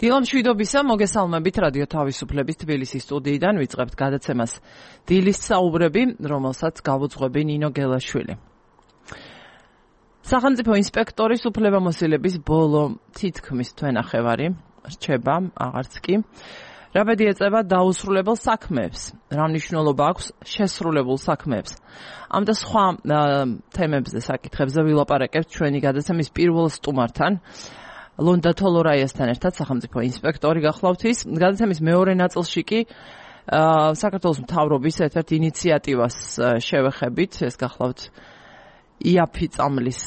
დილა მშვიდობისა, მოგესალმებით რადიო თავისუფლების თბილისის სტუდიიდან ვიწყებთ გადაცემას დილის საუბრები, რომელსაც გავუძღვები ნინო გელაშვილი. სახელმწიფო ინსპექტორის უფლებამოსილების ბოლო თითქმის თვენახევარი რჩება, აღარც კი. რა ბედი ეწევა დაუსრულებელ საქმეებს, რა მნიშვნელობა აქვს შესრულებულ საქმეებს. ამ და სხვა თემებზე საკითხებზე ვილაპარაკებთ ჩვენი გადაცემის პირველ სტუმართან. ლონდა თოლორაიასთან ერთად სახელმწიფო ინსპექტორი გახლავთ ის. გადაცემის მეორე ნაწილში კი საქართველოს მთავრობის ერთ-ერთ ინიციატივას შევეხებით, ეს გახლავთ იაფი წამლის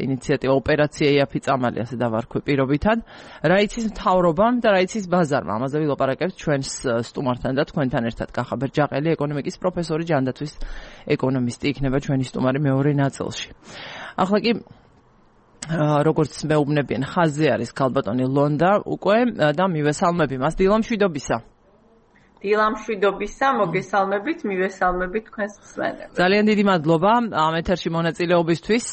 ინიციატივა, ოპერაცია იაფი წამალი, ასე დავარქვი პირობითად. რა იცის მთავრობამ და რა იცის ბაზარმა. ამაზე ვილაპარაკებთ ჩვენს სტუმართან და თქვენთან ერთად. კახაბერ ჯაყელი, ეკონომიკის პროფესორი, ჯანდაცვის ეკონომისტი იქნება ჩვენი სტუმარი მეორე ნაწილში. ახლა კი როგორც მეუბნებიან, ხაზზე არის ქალბატონი ლონდა უკვე და მივესალმები მას. დილა მშვიდობისა. დილა მშვიდობისა, მოგესალმებით, მივესალმებით თქვენს მსმენელებს. ძალიან დიდი მადლობა ამ ეთერში მონაწილეობისთვის.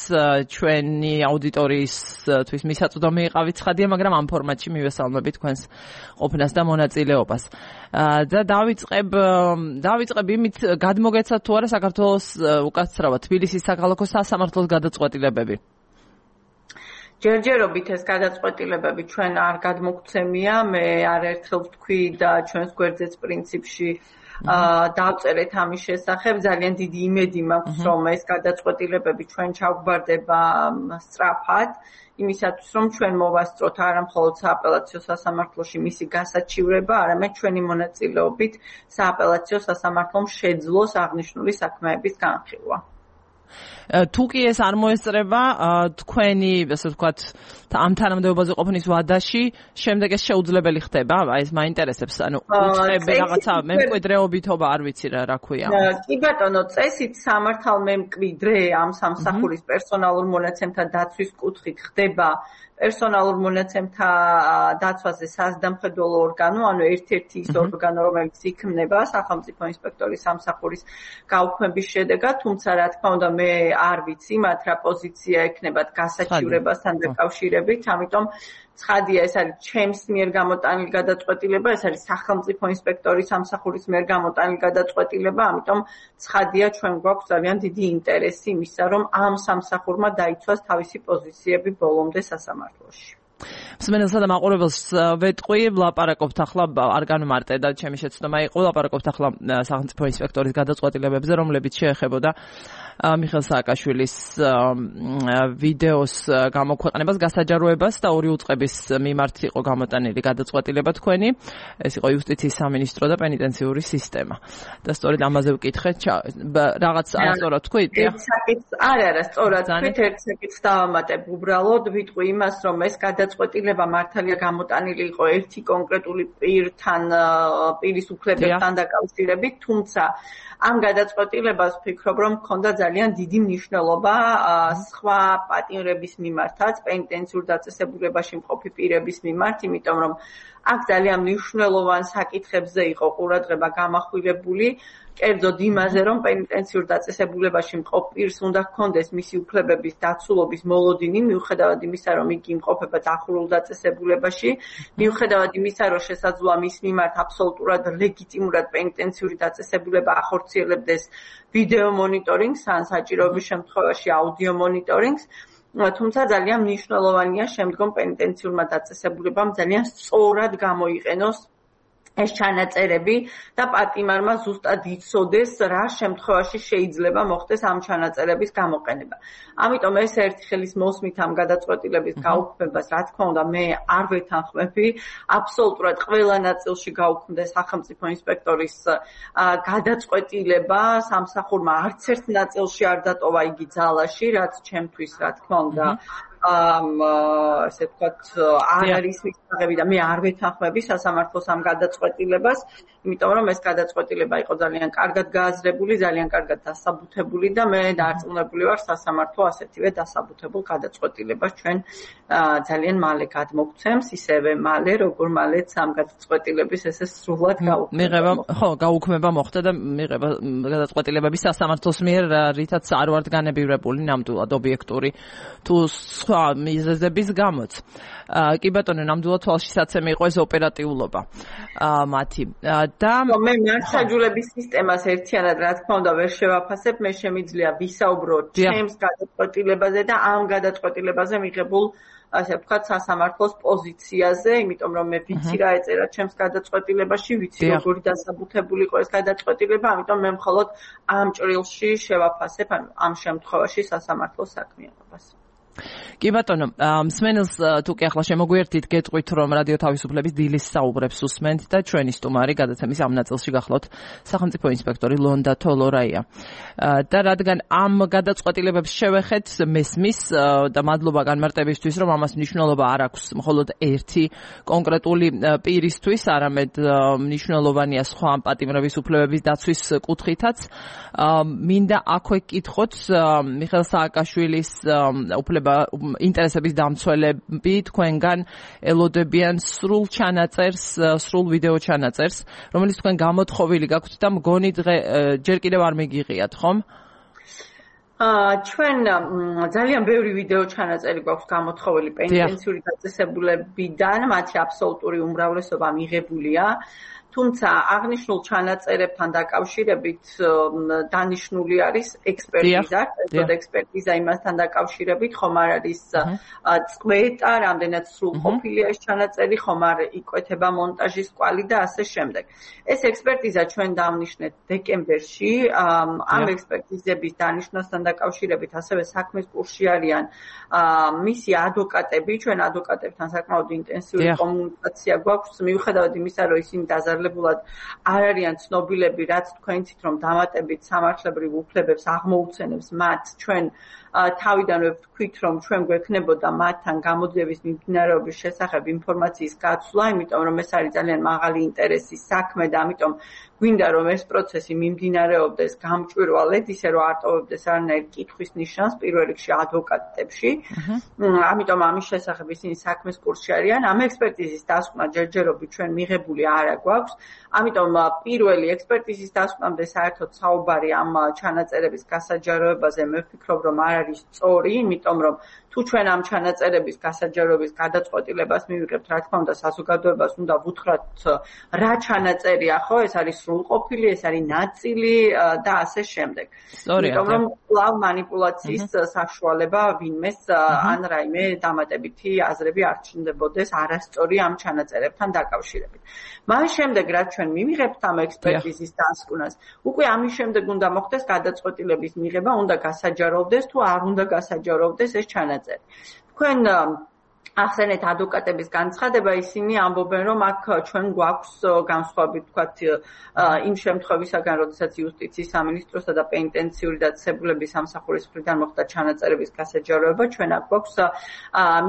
ჩვენი აუდიტორიისთვის მისაწვდომი იყავით ცხადია, მაგრამ ამ ფორმატში მივესალმები თქვენს ყოფნას და მონაწილეობას. და დავიწყებ იმით, გადმოგეცათ თუ არა საქართველოს უკაცრავად თბილისის საქალაქო სასამართლოს გადაწყვეტილებები. ჯერჯერობით ეს გადაწყვეტილებები ჩვენ არ გადმოგცემია, მე არაერთხელ ვთქვი და ჩვენს გვერდზეც პრინციპში დავწერეთ ამის შესახებ. ძალიან დიდი იმედი მაქვს, რომ ეს გადაწყვეტილებები ჩვენ ჩავგვარდება სწრაფად, იმისათვის რომ ჩვენ მოვასწროთ არა მხოლოდ სააპელაციო სასამართლოში მისი გასაჩივრება, არამედ ჩვენი მონაწილეობით სააპელაციო სასამართლომ შეძლოს აღნიშნული საქმეების განხილვა. თუ კი ეს არ მოესწრება თქვენი, ასე ვთქვათ, ამ თანამდებობაზე ყოფნის ვადაში, შემდეგ ეს შეუძლებელი ხდება? აი ეს მაინტერესებს, ანუ უწყები რაღაცა მემკვიდრეობითობა, არ ვიცი რა ქვია. კი ბატონო, წესით სამართალმემკვიდრე ამ სამსახურის პერსონალურ მონაცემთა დაცვის კუთხით ხდება პერსონალურ მონაცემთა დაცვაზე საზრდამხედველო ორგანო, ანუ ერთ-ერთი ის ორგანო, რომელიც იქმნება სახელმწიფო ინსპექტორის სამსახურის გაუქმების შედეგად, თუმცა რა თქმა უნდა მე არ ვიცი მათ რა პოზიცია ექნებათ გასაჩივრებასთან დაკავშირებით, ამიტომ ცხადია ეს არის ჩემს მიერ გამოტანილი გადაწყვეტილება, ეს არის სახელმწიფო ინსპექტორის სამსახურის მიერ გამოტანილი გადაწყვეტილება, ამიტომ ცხადია ჩვენ გვაქვს ძალიან დიდი ინტერესი იმისა, რომ ამ სამსახურმა დაიცვას თავისი პოზიციები ბოლომდე სასამართლოში. მსმენელსა და მაყურებელს ვეტყვი, ვლაპარაკობთ ახლა, არ განმარტე და ჩემი შეცდომა იყო, ვლაპარაკობთ ახლა სახელმწიფო ინსპექტორის გადაწყვეტილებებზე, რომლებიც შეეხებოდა მიხეილ სააკაშვილის ვიდეოს გამოქვეყნებას, გასაჯაროებას და ორი უწყების მიმართ იყო გამოტანილი გადაწყვეტილება თქვენი. ეს იყო იუსტიციის სამინისტრო და პენიტენციური სისტემა. და სწორედ ამაზე ვკითხეთ, რაღაც არასწორად თქვით? არა, სწორად თქვით, ერთ საკითხს დავამატებ. უბრალოდ ვიტყვი იმას, რომ ეს გადაწყვეტილება მართალია გამოტანილი იყო ერთი კონკრეტული პირის უფლებებთან დაკავშირებით, თუმცა ამ გადაწყვეტილებას ვფიქრობ, რომ ჰქონდა ძალიან დიდი მნიშვნელობა სხვა პატიმრების მიმართაც, პენიტენციურ დაწესებულებაში მყოფი პირების მიმართ, იმიტომ რომ აქ ძალიან მნიშვნელოვან საკითხებზე იყო ყურადღება გამახვილებული, კერძოდ იმაზე, რომ პენიტენციურ დაწესებულებაში მყოფ პირს უნდა ჰქონდეს მისი უფლებების დაცულობის მოლოდინი, მიუხედავად იმისა, რომ იგი იმყოფება დახურულ დაწესებულებაში, მიუხედავად იმისა, რომ შესაძლოა მის მიმართ აბსოლუტურად ლეგიტიმურად პენიტენციური დაწესებულება ახორციელებდეს ვიდეო მონიტორინგს, ან საჭიროების შემთხვევაში აუდიო მონიტორინგს. თუმცა ძალიან მნიშვნელოვანია შემდგომ პენიტენციურმა დაწესებულებამ ძალიან სწორად გამოიყენოს ეს ჩანაწერები და პატიმარმა ზუსტად იცოდეს, რა შემთხვევაში შეიძლება მოხდეს ამ ჩანაწერების გამოყენება. ამიტომ ეს ერთი ხელის მოსმით ამ გადაწყვეტილების გაუქმებას, რა თქმა უნდა, მე არ ვეთანხმები. აბსოლუტურად ყველა ნაწილში გაუქმდეს სახელმწიფო ინსპექტორის გადაწყვეტილება, სამსახურმა არც ერთ ნაწილში არ დატოვა იგი ძალაში, რაც ჩემთვის, რა თქმა უნდა, ესე ვთქვათ, არ არის მისაღები და მე არ ვეთანხმები სასამართლოს ამ გადაწყვეტილებას, იმიტომ რომ ეს გადაწყვეტილება იყო ძალიან კარგად გააზრებული, ძალიან კარგად დასაბუთებული და მე დარწმუნებული ვარ სასამართლო ასეთივე დასაბუთებულ გადაწყვეტილებას ჩვენ ძალიან მალე გადმოგცემს, ისევე მალე, როგორ მალეც ამ გადაწყვეტილების ესე სრულად გაუქმება მოხდა და მიღება გადაწყვეტილებები სასამართლოს მიერ, რითაც არ ვართ განებივრებული ნამდვილად ობიექტური თუ სხვა მიზეზების გამოც. კი ბატონო, ნამდვილად თვალშისაცემი იყო ეს ოპერატიულობა მათი. და მე მართლმსაჯულების სისტემას ერთიანად რა თქმა უნდა ვერ შევაფასებ, მე შემიძლია ვისაუბრო ჩემს გადაწყვეტილებაზე და ამ გადაწყვეტილებაზე მიღებულ ასე ვთქვათ, სასამართლოს პოზიციაზე, იმიტომ რომ მე ვიცი რა ეწერა ჩემს გადაწყვეტილებაში, ვიცი როგორი დასაბუთებული იყო ეს გადაწყვეტილება, ამიტომ მე მხოლოდ ამ ჭრილში შევაფასებ, ანუ ამ შემთხვევაში სასამართლოს საქმიანობას. კი ბატონო, მსმენელს თუ კი ახლა შემოგვიერთით, გეტყვით რომ რადიო თავისუფლების დილის საუბრებს უსმენთ და ჩვენი სტუმარი გადაცემის ამ ნაწილში გახლავთ სახელმწიფო ინსპექტორი ლონდა თოლორაია. და რადგან ამ გადაწყვეტილებებს შევეხეთ, მესმის და მადლობა განმარტებისთვის, რომ ამას მნიშვნელობა არ აქვს მხოლოდ ერთი კონკრეტული პირისთვის, არამედ მნიშვნელოვანია სხვა პატიმრების უფლებების დაცვის კუთხითაც. მინდა აქვე გკითხოთ მიხეილ სააკაშვილის ინტერესების დამცველები თქვენგან ელოდებიან სრულ ჩანაწერს, სრულ ვიდეო ჩანაწერს, რომელიც თქვენ გამოთხოვილი გაქვთ და მგონი დღე ჯერ კიდევ არ მიგიღიათ, ხომ? ჩვენ ძალიან ბევრი ვიდეო ჩანაწერი გვაქვს გამოთხოვილი პენტენციური დაწესებულებიდან, მათი აბსოლუტური უმრავლესობა მიღებულია. თუმცა აღნიშნულ ჩანაწერებთან დაკავშირებით დანიშნული არის ექსპერტიზა, ექსპერტიზა იმასთან დაკავშირებით, ხომ არ არის წყვეტა, რამდენად სრულყოფილია ეს ჩანაწერი, ხომ არ იკვეთება მონტაჟის კვალი და ასე შემდეგ. ეს ექსპერტიზა ჩვენ დავნიშნეთ დეკემბერში, ამ ექსპერტიზების დანიშნასთან დაკავშირებით ასევე საქმის კურსში არიან მისი ადვოკატები, ჩვენ ადვოკატებთან საკმაოდ ინტენსიური კომუნიკაცია გვაქვს, მიუხედავად იმისა, რომ ისინი დაზარლებულად არ არიან ცნობილები, რაც თქვენით რომ დამატებით სამართლებრივ უფლებებს აღმოუცენებს მათ, ჩვენ თავიდანვე ვთქვით, რომ ჩვენ გვექნებოდა მათთან გამოძიების მიმდინარეობის შესახებ ინფორმაციის გაცვლა, იმიტომ რომ ეს არის ძალიან მაღალი ინტერესის საქმე და ამიტომ გვინდა რომ ეს პროცესი მიმდინარეობდეს გამჭვირვალედ, ისე რომ არ ტოვებდეს არანაირ კითხვის ნიშანს პირველ რიგში ადვოკატებში. ამიტომ ამის შესახებ ისინი საქმის კურსში არიან. ამ ექსპერტიზის დასკვნა ჯერჯერობით ჩვენ მიღებული არ გვაქვს. ამიტომ პირველი ექსპერტიზის დასკვნამდე საერთოდ საუბარი ამ ჩანაწერების გასაჯაროებაზე მე ვფიქრობ რომ არ არის სწორი, იმიტომ რომ თუ ჩვენ ამ ჩანაწერების გასაჯაროების გადაწყვეტილებას მივიღებთ, რა თქმა უნდა, საზოგადოებას უნდა ვუთხრათ რა ჩანაწერია, ხო, ეს არის სრულყოფილი, ეს არის ნაწილი და ასე შემდეგ. იმიტომ რომ კვლავ მანიპულაციის საშუალება ვინმეს ან რაიმე დამატებითი აზრები არ ჩნდებოდეს არასწორი ამ ჩანაწერებთან დაკავშირებით. მას შემდეგ, რაც ჩვენ მივიღებთ ამ ექსპერტიზის დასკვნას, უკვე ამის შემდეგ უნდა მოხდეს გადაწყვეტილების მიღება, უნდა გასაჯაროვდეს თუ არ უნდა გასაჯაროვდეს ეს ჩანაწერი. თქვენ ახსენეთ ადვოკატების განცხადება, ისინი ამბობენ, რომ აქ ჩვენ გვაქვს განსხვავებით ვთქვათ იმ შემთხვევისაგან, როდესაც იუსტიციის სამინისტროსა და პენტენციური დაწესებულების სამსახურის მხრიდან მოხდა ჩანაწერების გასაჯაროება, ჩვენ აქ გვაქვს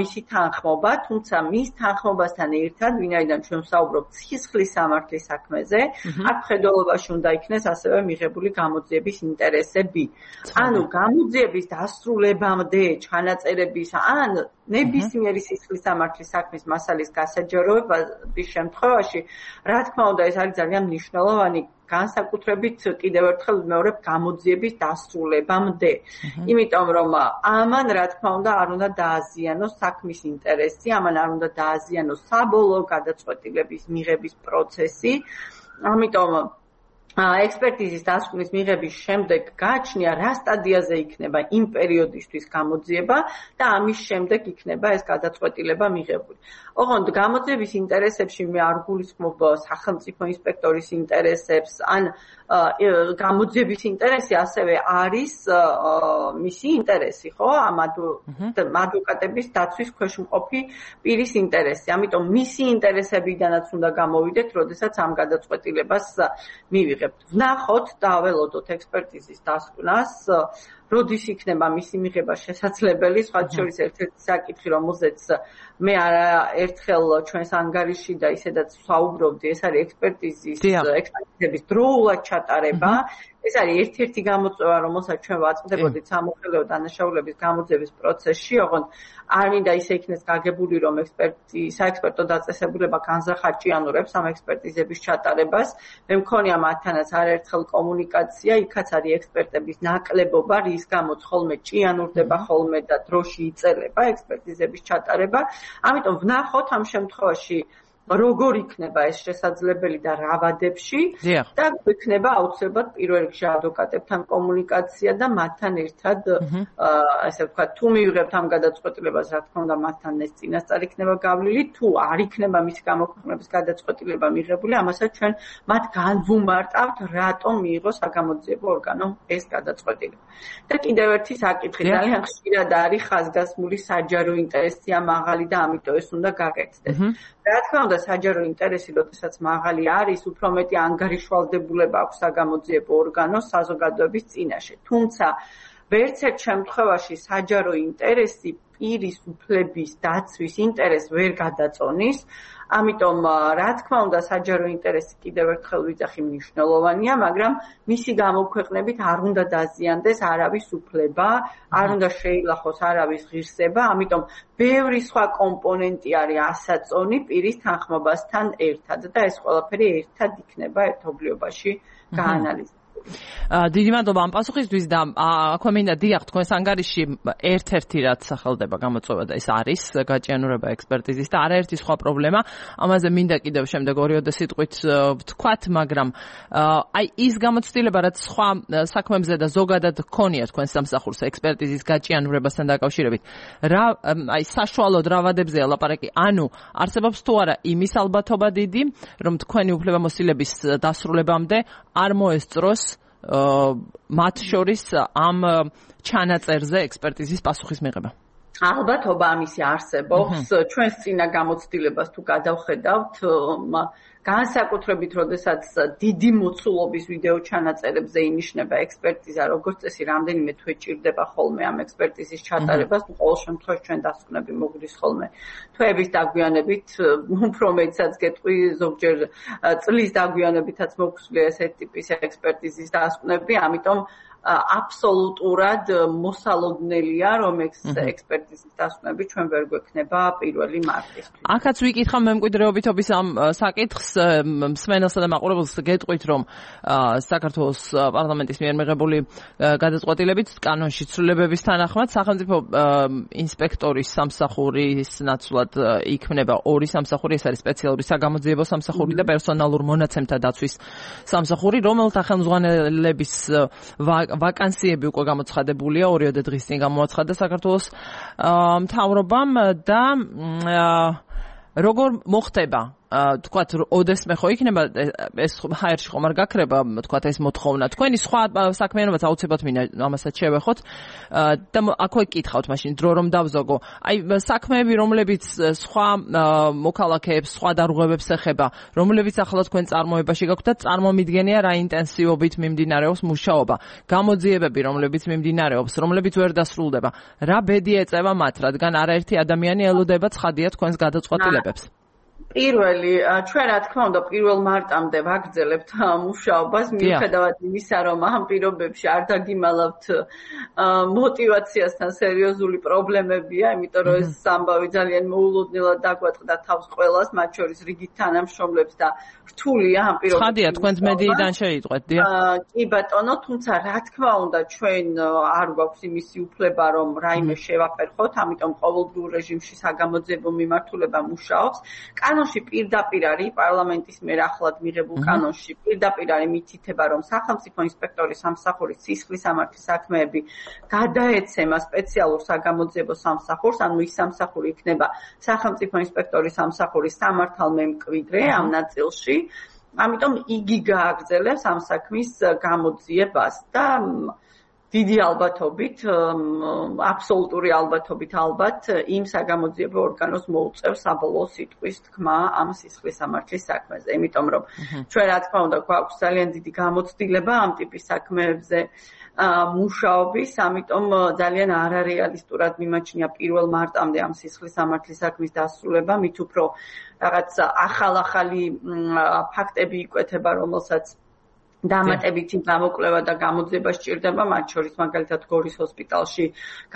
მისი თანხმობა, თუმცა მის თანხმობასთან ერთად, ვინაიდან ჩვენ ვსაუბრობთ სისხლის სამართლის საქმეზე, აქ მხედველობაში უნდა იქნეს ასევე მიღებული გამოძიების ინტერესები. ანუ გამოძიების დასრულებამდე ჩანაწერების ან ნებისმიერი სისხლის სამართლის საქმის მასალის გასაჯაროების შემთხვევაში, რა თქმა უნდა, ეს არის ძალიან მნიშვნელოვანი, განსაკუთრებით კიდევ ერთხელ ვიმეორებ გამოძიების დასრულებამდე. იმიტომ რომ ამან, რა თქმა უნდა, არ უნდა დააზიანოს საქმის ინტერესი, ამან არ უნდა დააზიანოს საბოლოო გადაწყვეტილების მიღების პროცესი. ამიტომ ექსპერტიზის დასკვნის მიღების შემდეგ გააჩნია, რა სტადიაზე იქნება იმ პერიოდისთვის გამოძიება და ამის შემდეგ იქნება ეს გადაწყვეტილება მიღებული. ოღონდ გამოძიების ინტერესებში მე არ გულისხმობ სახელმწიფო ინსპექტორის ინტერესებს, ან გამოძიების ინტერესი ასევე არის მისი ინტერესი, ხო? ამ ადვოკატების დაცვის ქვეშ მყოფი პირის ინტერესი. ამიტომ მისი ინტერესებიდანაც უნდა გამოვიდეთ, როდესაც ამ გადაწყვეტილებას მივიღებთ. ვნახოთ და აველოდოთ ექსპერტიზის დასკვნას, როდის იქნება მისი მიღება შესაძლებელი, სხვათა შორის ერთ-ერთი საკითხი, რომელზეც მე ერთხელ ჩვენს ანგარიში და ისედაც ვსაუბრობდი, ეს არის ექსპერტიზების დროულად ჩატარება. ეს არის ერთ-ერთი გამოწვევა, რომელსაც ჩვენ ვაწყდებოდით სამოხელეო დანაშაულების გამოძიების პროცესში, ოღონდ არ მინდა ისე იქნეს გაგებული, რომ საექსპერტო დაწესებულება განზახარჭიანურებს ამ ექსპერტიზების ჩატარებას. მე მქონია მათთანაც არაერთხელ კომუნიკაცია, იქაც არის ექსპერტების ნაკლებობა, რის გამოც ხოლმე ჭიანურდება ხოლმე და დროში იწელება ექსპერტიზების ჩატარება. ამიტომ ვნახოთ ამ შემთხვევაში როგორ იქნება ეს შესაძლებელი და რა ვადებში და იქნება აუცილებლად პირველ რიგში ადვოკატებთან კომუნიკაცია და მათთან ერთად ასე ვთქვათ თუ მივიღებთ ამ გადაწყვეტილებას რა თქმა უნდა მათთან ეს წინასწარ იქნება გავლილი თუ არ იქნება მისი გამოქვეყნების გადაწყვეტილება მიღებული ამასაც ჩვენ მათ განვუმარტავთ რატომ მიიღო საგამოძიებო ორგანომ ეს გადაწყვეტილება და კიდევ ერთი საკითხი ძალიან ხშირად არის ხაზგასმული საჯარო ინტერესია მაღალი და ამიტომ ეს უნდა გაკეთდეს რა თქმა უნდა საჯარო ინტერესი, როდესაც მაღალი არის, უფრო მეტი ანგარიშვალდებულება აქვს საგამოძიებო ორგანოს საზოგადოების წინაშე. თუმცა ვერც ერთ შემთხვევაში საჯარო ინტერესი პირის უფლების დაცვის ინტერესს ვერ გადაწონის. ამიტომ რა თქმა უნდა საჯარო ინტერესი კიდევ ერთხელ ვიძახი მნიშვნელოვანია, მაგრამ მისი გამოქვეყნებით არ უნდა დაზიანდეს არავის უფლება, არ უნდა შეილახოს არავის ღირსება, ამიტომ ბევრი სხვა კომპონენტი არის ასაწონი პირის თანხმობასთან ერთად და ეს ყველაფერი ერთად იქნება ერთობლიობაში გაანალიზებული. დიდი მადლობა ამ პასუხისთვის და აქვე მინდა დიახ თქვენს ანგარიში ერთ-ერთი რაც სახელდება გამოწვევა და ეს არის გაჭიანურება ექსპერტიზის და არაერთი სხვა პრობლემა ამაზე მინდა კიდევ შემდეგ 2-3 სიტყვით ვთქვათ მაგრამ აი ის გამოცდილება რაც სხვა საქმებზე და ზოგადად გქონია თქვენ სამსახურს ექსპერტიზის გაჭიანურებასთან დაკავშირებით რა აი საშუალოდ რა ვადებზეა ლაპარაკი ანუ არსებობს თუ არა იმის ალბათობა დიდი რომ თქვენი უფლებამოსილების დასრულებამდე არ მოესწროს მათ შორის ამ ჩანაწერზე ექსპერტიზის პასუხის მიღება. ალბათობა ამისი არსებობს. ჩვენს წინა გამოცდილებას თუ გადავხედავთ, განსაკუთრებით, როდესაც დიდი მოცულობის ვიდეო ჩანაწერებზე ინიშნება ექსპერტიზა, როგორც წესი, რამდენიმე თვე ჭირდება ხოლმე ამ ექსპერტიზის ჩატარებას, ყოველ შემთხვევაში ჩვენ დასკვნები მოგვდის ხოლმე თვეების დაგვიანებით, უფრო მეტსაც გეტყვი, ზოგჯერ წლის დაგვიანებითაც მოგვსვლია ესეთი ტიპის ექსპერტიზის დასკვნები, ამიტომ აბსოლუტურად მოსალოდნელია, რომ ექსპერტიზის დასკვნები ჩვენ ვერ გვექნება 1 მარტისთვის. ახაც ვიკითხავ მემკვიდრეობითობის ამ საკითხს მსმენელსა და მაყურებელს გეტყვით, რომ საქართველოს პარლამენტის მიერ მიღებული გადაწყვეტილებით კანონში ცვლილებების თანახმად სახელმწიფო ინსპექტორის სამსახურის ნაცვლად იქმნება 2 სამსახური, ეს არის სპეციალური საგამოძიებო სამსახური და პერსონალურ მონაცემთა დაცვის სამსახური, რომელთა ხელმძღვანელების ვაკანსიები უკვე გამოცხადებულია 2 დღის წინ გამოაცხადა საქართველოს მთავრობამ და როგორ მოხდება თქვათ ოდესმე ხო იქნება ეს ჰაერში ხომ არ გაქრება თქვათ ეს მოთხოვნა თქვენი სხვა საქმიანობაც აუცილებლად მინდა ამასაც შევეხოთ და აქვე გკითხავთ მაშინ დრო რომ დავზოგო აი საქმეები რომლებიც სხვა მოქალაქეებს სხვა დარღვევებს ეხება რომლებიც ახლა თქვენ წარმოებაში გაქვთ და წარმომიდგენია რა ინტენსივობით მიმდინარეობს მუშაობა გამოძიებები რომლებიც მიმდინარეობს რომლებიც ვერ დასრულდება რა ბედი ეწევა მათ რადგან არაერთი ადამიანი ელოდება ცხადია თქვენს გადაწყვეტილებებს პირველი, ჩვენ რა თქმა უნდა 1 მარტამდე ვაგრძელებთ მუშაობას, მიუხედავად იმისა, რომ ამ პირობებში არ დაგიმალავთ მოტივაციასთან სერიოზული პრობლემებია, იმიტომ რომ ეს ამბავი ძალიან მოულოდნელად დაგვატყდა თავს ყველას, მათ შორის რიგით თანამშრომლებს და რთულია ამ პირობებში. ცხადია, თქვენც მედიიდან შეიტყვეთ, დიახ. კი ბატონო, თუმცა რა თქმა უნდა ჩვენ არ გვაქვს იმისი უფლება, რომ რაიმე შევაფერხოთ, ამიტომ ყოველდღიურ რეჟიმში საგამოძიებო მიმართულება მუშაობს. კანონში პირდაპირ არის პარლამენტის მიერ ახლად მიღებულ კანონში პირდაპირ არის მითითება რომ სახელმწიფო ინსპექტორის სამსახურის სისხლისამართლის საქმეები გადაეცემა სპეციალურ საგამოძიებო სამსახურს, ანუ ის სამსახური იქნება სახელმწიფო ინსპექტორის სამსახურის სამართალმემკვიდრე ამ ნაწილში, ამიტომ იგი გააგრძელებს ამ საქმის გამოძიებას და დიდი ალბათობით, აბსოლუტური ალბათობით ალბათ იმ საგამოძიებო ორგანოს მოუწევს საბოლოო სიტყვის თქმა ამ სისხლისამართლის საქმეზე. იმიტომ რომ ჩვენ რა თქმა უნდა გვაქვს ძალიან დიდი გამოცდილება ამ ტიპის საქმეებზე მუშაობის, ამიტომ ძალიან არარეალისტურად მიმაჩნია 1 მარტამდე ამ სისხლისამართლის საქმის დასრულება, მით უფრო რაღაც ახალი ფაქტები იკვეთება, რომელსაც დამატებითი გამოკვლევა და გამოძიება სჭირდება, მათ შორის მაგალითად გორის ჰოსპიტალში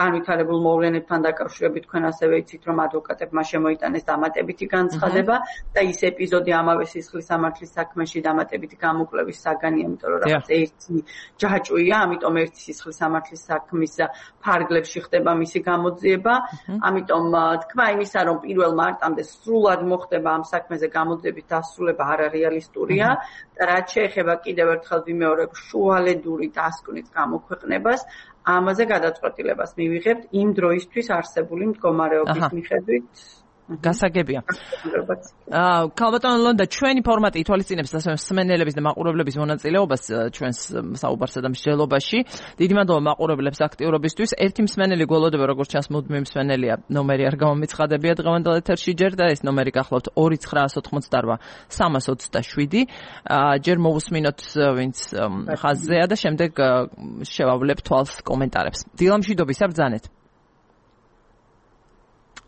განვითარებულ მოვლენებთან დაკავშირებით თქვენ ასევე იცით, რომ ადვოკატებმა შემოიტანეს დამატებითი განცხადება და ის ეპიზოდი ამავე სისხლის სამართლის საქმეში დამატებითი გამოკვლევის საგანია, იმიტომ რომ რაღაც ერთი ჯაჭვია, ამიტომ ერთი სისხლის სამართლის საქმის ფარგლებში ხდება მისი გამოძიება, ამიტომ თქვა იმისა, რომ 1 მარტამდე სრულად მოხდება ამ საქმეზე გამოძიების დასრულება არარეალისტურია და რაც შეეხება კიდევ ერთხელ ვიმეორებ შუალედური დასკვნით გამოქვეყნებას, ამაზე გადაწყვეტილებას მივიღებთ იმ დროისთვის არსებული მდგომარეობის მიხედვით. გასაგებია. ქალბატონო ლონდა, ჩვენი ფორმატი ითვალისწინებს ასევე მსმენელების და მაყურებლების მონაწილეობას ჩვენს საუბარსა და მსჯელობაში. დიდი მადლობა მაყურებლებს აქტიურობისთვის. ერთი მსმენელი გველოდება, როგორც ჩანს, მუდმივი მსმენელია, ნომერი არ გამომიცხადებია დღევანდელ ეთერში ჯერ და ეს ნომერი გახლავთ 2988 327. ჯერ მოვუსმინოთ ვინც ხაზზეა და შემდეგ შევავლებთ თვალს კომენტარებს. დილამშვიდობისა ბრძანეთ.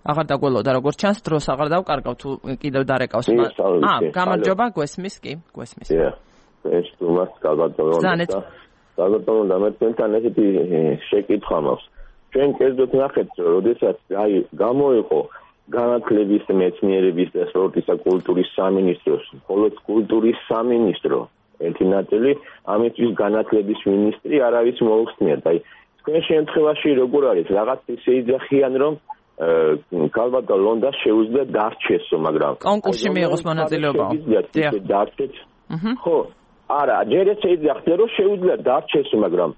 აღარ დაგველოდა როგორც ჩანს დროს აღარ დავკარგავ თუ კიდევ დარეკავს. გამარჯობა, გვესმის კი, გვესმის. ეს თუმას გალბატონო და მე თქვენთან ესეთი შეკითხვა მაქვს. ჩვენ კერძოდ ნახეთ, როდესაც გამოიყო განათლების, მეცნიერების და სპორტის და კულტურის სამინისტროს, მხოლოდ კულტურის სამინისტრო ერთი ნაწილი, ამისთვის განათლების მინისტრი არავის მოუხსნიათ. აი, თქვენ შემთხვევაში როგორ არის, რაღაც ისე იძახიან, რომ ქალბატონ ლონდა შეუძლია დარჩესო, მაგრამ კონკურსში მიიღოს მონაწილეობა. დარჩეთ. ხო, არა, ჯერ შეიძლება რომ შეუძლია დარჩესო, მაგრამ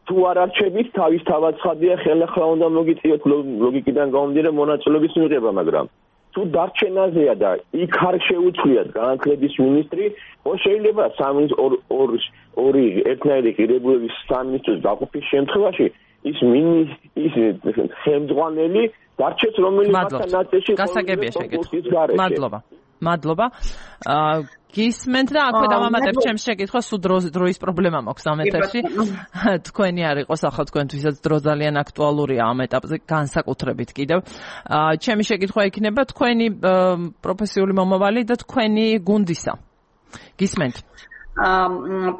თუ არ არჩებით, თავის თავად ცხადია, ხელახლა უნდა მოგიწიოთ ლოგიკიდან გამომდინარე მონაწილეობის მიღება, მაგრამ თუ დარჩენაზეა და იქ არ შეუცვლიათ განათლების მინისტრი, შეიძლება ორი ერთნაირი ღირებულების სამინისტროს დაყოფის შემთხვევაში ის ხელმძღვანელი დარჩეს რომელიმათან ნაწილში გასაგებია შეკითხვა. მადლობა. გისმენთ და აქვე დავამატებ ჩემს შეკითხვას, სულ დროის პრობლემა მაქვს ამ ეთერში. თქვენი არ იყოს ახლა თქვენთვისაც დრო ძალიან აქტუალურია ამ ეტაპზე, განსაკუთრებით კიდევ. ჩემი შეკითხვა იქნება თქვენი პროფესიული მომავალი და თქვენი გუნდისა. გისმენთ.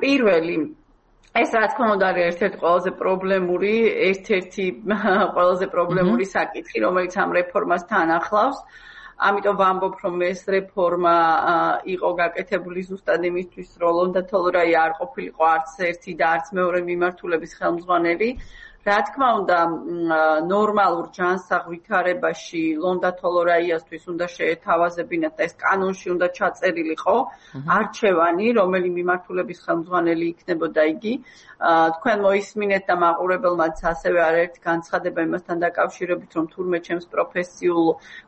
პირველი ეს რა თქმა უნდა არის ერთ-ერთი ყველაზე პრობლემური საკითხი, რომელიც ამ რეფორმას თან ახლავს. ამიტომ ვამბობ, რომ ეს რეფორმა იყო გაკეთებული ზუსტად იმისთვის, რომ ლონდა თოლორაი არ ყოფილიყო არც ერთი და არც მეორე მიმართულების ხელმძღვანელი. რა თქმა უნდა, ნორმალურ ჯანსაღ ვითარებაში ლონდა თოლორაიასთვის უნდა შეეთავაზებინათ და ეს კანონში უნდა ჩაწერილიყო არჩევანი, რომელი მიმართულების ხელმძღვანელი იქნებოდა იგი. თქვენ მოისმინეთ და მაყურებელმაც ასევე არაერთი განცხადება იმასთან დაკავშირებით, რომ თურმე ჩემს პროფესიულ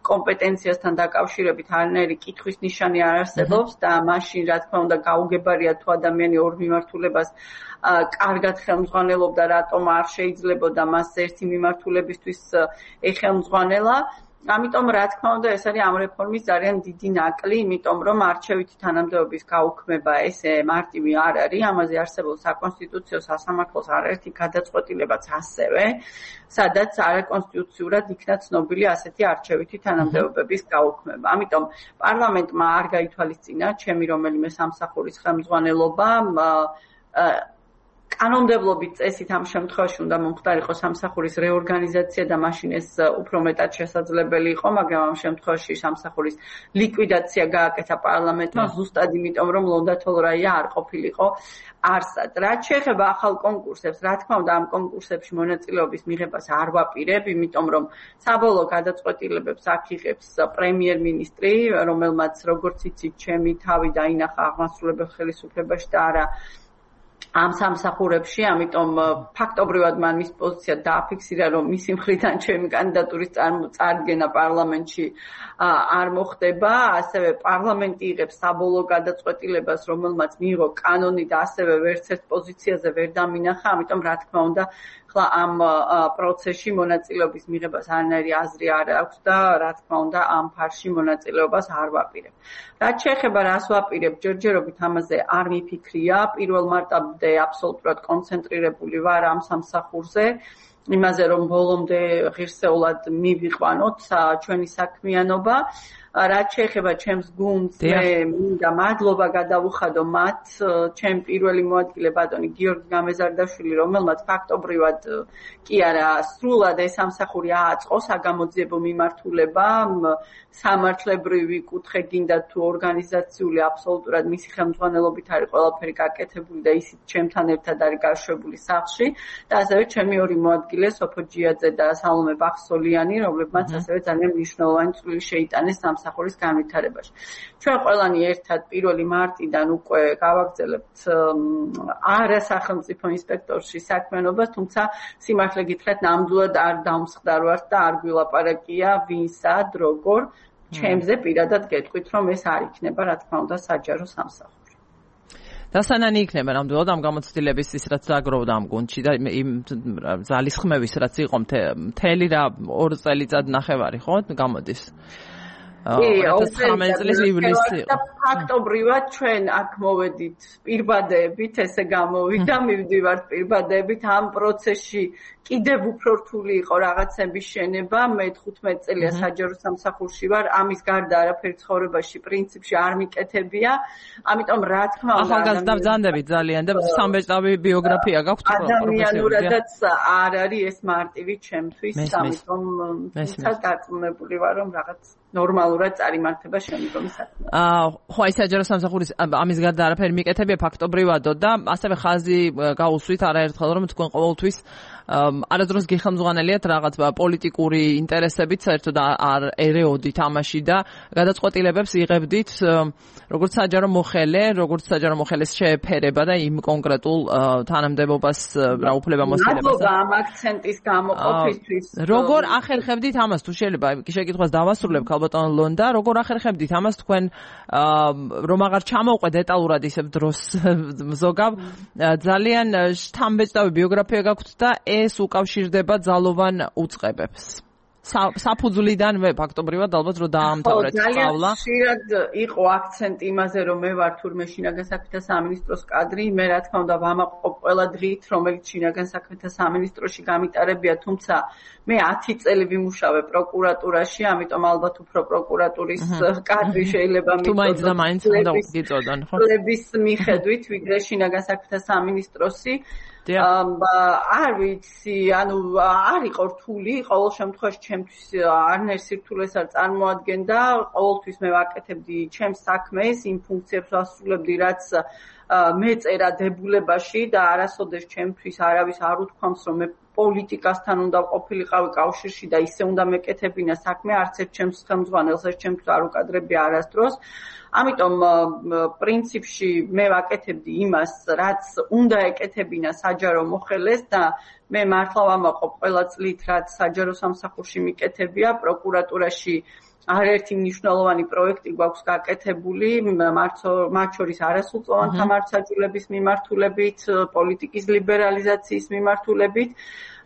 კომპეტენციასთან დაკავშირებით არანაირი კითხვის ნიშანი არ არსებობს და მაშინ რა თქმა უნდა გაუგებარია თუ ადამიანი ორ მიმართულებას კარგად ხელმძღვანელობდა, რატომ არ შეიძლებოდა მას ერთი მიმართულებისთვის ეხელმძღვანელა. ამიტომ რა თქმა უნდა ეს არის ამ რეფორმის ძალიან დიდი ნაკლი, იმიტომ რომ არჩევითი თანამდებობის გაუქმება ესე მარტივი არ არის, ამაზე არსებულ საკონსტიტუციო სასამართლოს არაერთი გადაწყვეტილებაც ასევე, სადაც არაკონსტიტუციურად იქნა ცნობილი ასეთი არჩევითი თანამდებობების გაუქმება. ამიტომ პარლამენტმა არ გაითვალისწინა ჩემი რომელიმე სამსახურის ხელმძღვანელობა კანონმდებლობით წესით ამ შემთხვევაში უნდა მომხდარიყო სამსახურის რეორგანიზაცია და მაშინ ეს უფრო მეტად შესაძლებელი იყო, მაგრამ ამ შემთხვევაში სამსახურის ლიკვიდაცია გააკეთა პარლამენტმა ზუსტად იმიტომ, რომ ლონდა თოლორაია არ ყოფილიყო არსად. რაც შეეხება ახალ კონკურსებს, რა თქმა უნდა ამ კონკურსებში მონაწილეობის მიღებას არ ვაპირებ, იმიტომ რომ საბოლოო გადაწყვეტილებებს აქ იღებს პრემიერ-მინისტრი, რომელმაც როგორც იცით, ჩემი თავი დაინახა აღმასრულებელ ხელისუფლებაში და არა ამ სამსახურებში, ამიტომ ფაქტობრივად მან მის პოზიცია დააფიქსირა, რომ მისი მხრიდან ჩემი კანდიდატურის წარდგენა პარლამენტში არ მოხდება, ასევე პარლამენტი იღებს საბოლოო გადაწყვეტილებას, რომელმაც მიიღო კანონი და ასევე ვერც ერთ პოზიციაზე ვერ დამინახა, ამიტომ რა თქმა უნდა ხლა ამ პროცესში მონაწილეობის მიღებას არანაირი აზრი არ აქვს და რა თქმა უნდა ამ ფარში მონაწილეობას არ ვაპირებ. რაც შეეხება რას ვაპირებ, ჯერჯერობით ამაზე არ მიფიქრია, 1 მარტამდე აბსოლუტურად კონცენტრირებული ვარ ამ სამსახურზე, იმაზე რომ ბოლომდე ღირსეულად მივიყვანოთ ჩვენი საქმიანობა. რაც შეეხება ჩემს გუნდს, მე მინდა მადლობა გადავუხადო მათ, ჩემ პირველი მოადგილე ბატონი გიორგი გამეზარდაშვილი, რომელმაც ფაქტობრივად კი არა, სრულად ეს სამსახური ააწყო საგამოძიებო მიმართულება, სამართლებრივი კუთხე გინდა თუ ორგანიზაციული აბსოლუტურად მისი ხელმძღვანელობით არის ყველაფერი გაკეთებული და ისიც ჩემთან ერთად არის გაშვებული სახლში და ასევე ჩემი ორი მოადგილე სოფო ჯიაძე და სალომე ბახსოლიანი, რომლებმაც ასევე ძალიან მნიშვნელოვანი წვლილი შეიტანეს სამსახურის განვითარებაში. ჩვენ ყველანი ერთად 1 მარტიდან უკვე გავაგრძელებთ არასახელმწიფო ინსპექტორში საქმიანობას, თუმცა სიმართლე გითხრათ, ნამდვილად არ დავმსხდარვართ და არ გვილაპარაკია ვინსად, როგორ, ჩემზე პირადად გეტყვით, რომ ეს არ იქნება, რა თქმა უნდა, საჯარო სამსახური. დასანანი იქნება ნამდვილად ამ გამოცდილების ის რაც დაგროვდა ამ გუნდში და იმ ზალის ხმების რაც იყო მთელი რა 2 წელიწად ნახევარი ხო გამოდის. 2019 წლის ივლისი. და ფაქტობრივად ჩვენ აქ მოვედით პირბადეებით, ესე გამოვიდა, მივდივართ პირბადეებით ამ პროცესში კიდევ უფრო რთული იყო რაღაცების შენება, მე 15 წელია საჯარო სამსახურში ვარ, ამის გარდა არაფერი ცხოვრებაში პრინციპში არ მიკეთებია, ამიტომ რა თქმა უნდა ახალგაზრდაბრძანდებით ძალიან და სამბეჭდავი ბიოგრაფია გაქვთ ადამიანურადაც არ არის ეს მარტივი ჩემთვის, ამიტომ თუმცა დარწმუნებული ვარ, რომ რაღაც ნორმალურად წარიმართება შემდგომი საქმე. ხო, აი საჯარო სამსახურის ამის გარდა არაფერი მიკეთებია ფაქტობრივადო და ასევე ხაზი გაუსვით არაერთხელ რომ თქვენ ყოველთვის არადროს გიხელმძღვანელიათ რაღაც პოლიტიკური ინტერესებით, საერთოდ არ ერეოდით ამაში და გადაწყვეტილებებს იღებდით როგორც საჯარო მოხელე, როგორც საჯარო მოხელეს შეეფერება და იმ კონკრეტულ თანამდებობას რა უფლებამოსილებას. მადლობა ამ აქცენტის გამოყოფისთვის. როგორ ახერხებდით ამას თუ შეიძლება შეკითხვას დავასრულებ ქალბატონ ლონდა, როგორ ახერხებდით ამას თქვენ რომ აღარ ჩამოვყვე დეტალურად ისევ დროს ზოგავ ძალიან შთამბეჭდავი ბიოგრაფია გაქვთ და ეს უკავშირდება ძალოვან უწყებებს. საფუძვლიდანვე ფაქტობრივად ალბათ რომ დაამთავრეთ სწავლა. ძალიან ხშირად იყო აქცენტი იმაზე რომ მე ვარ თურმე შინაგან საქმეთა სამინისტროს კადრი, მე რა თქმა უნდა ვამაყობ ყველა დღით, რომელიც შინაგან საქმეთა სამინისტროში გამიტარებია, თუმცა მე 10 წელი ვიმუშავე პროკურატურაში, ამიტომ ალბათ უფრო პროკურატურის კადრი შეიძლება მიწოდოს. თუ მაინც და მაინც უნდა გიწოდონ, ხო? ლების მიხედვით, ვიდრე შინაგან საქმეთა სამინისტროსი. არ ვიცი, ანუ არ იყო რთული, ყოველ შემთხვევაში ჩემთვის არნერ სირთულეს არ წარმოადგენდა, ყოველთვის მე ვაკეთებდი ჩემს საქმეს, იმ ფუნქციებს ვასრულებდი, რაც მეწერა დებულებაში და არასოდეს ჩემთვის არავის არ უთქვამს, რომ მე პოლიტიკასთან უნდა ყოფილიყავი კავშირში და ისე უნდა მეკეთებინა საქმე, არც ერთ ჩემს ხელმძღვანელს ეს ჩემთვის არ უკადრებია არასდროს. ამიტომ პრინციპში მე ვაკეთებდი იმას, რაც უნდა ეკეთებინა საჯარო მოხელეს და მე მართლა ვამაყობ ყველა წლით, რაც საჯარო სამსახურში მიკეთებია, პროკურატურაში არაერთი მნიშვნელოვანი პროექტი გვაქვს გაკეთებული, მათ შორის არასრულწლოვანთა მართლმსაჯულების მიმართულებით, პოლიტიკის ლიბერალიზაციის მიმართულებით.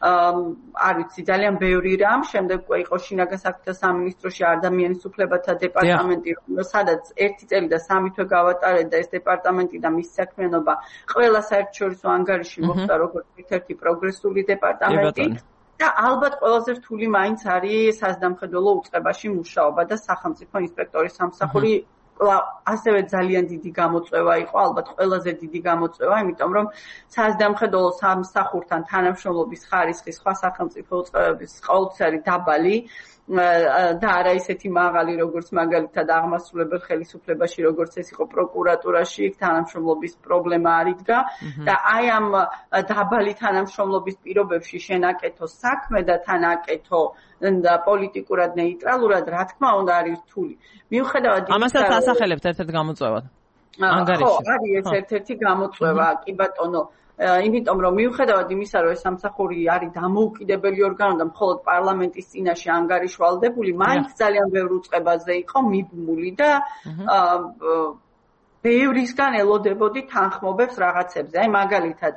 არ ვიცი, ძალიან ბევრი რამ, შემდეგ იყო შინაგან საქმეთა სამინისტროში ადამიანის უფლებათა დეპარტამენტი, სადაც 1 წელი და 3 თვე გავატარეთ და ეს დეპარტამენტი და მის საქმიანობა ყველა საერთაშორისო ანგარიში მოხდა როგორც ერთ-ერთი პროგრესული დეპარტამენტი. და ალბათ ყველაზე რთული მაინც არის საზდამხედველო უწყებაში მუშაობა და სახელმწიფო ინსპექტორის სამსახური ასევე ძალიან დიდი გამოწვევა იყო, ალბათ ყველაზე დიდი გამოწვევა, იმიტომ რომ საზდამხედველო სამსახურთან თანამშრომლობის ხარისხი სხვა სახელმწიფო უწყებების ყოველთვის არის დაბალი და არა ისეთი მაღალი, როგორც მაგალითად აღმასრულებელ ხელისუფლებაში, როგორც ეს იყო პროკურატურაში, იქ თანამშრომლობის პრობლემა არ იდგა და აი ამ დაბალი თანამშრომლობის პირობებში შენაკეთო საქმე და თან აკეთო პოლიტიკურად ნეიტრალურად, რა თქმა უნდა არის რთული. მიუხედავად იმისა, ამასაც ასახელებთ ერთ-ერთ გამოწვევად. ანგარიში. ხო, არის ეს ერთ-ერთი გამოწვევა, კი ბატონო. იმიტომ რომ მიუხედავად იმისა, რომ ეს სამსახური არის დამოუკიდებელი ორგანო და მხოლოდ პარლამენტის წინაშე ანგარიშვალდებული, მაინც ძალიან ბევრ უწყებაზე იყო მიბმული და ბევრისგან ელოდებოდი თანხმობებს რაღაცებზე. აი მაგალითად,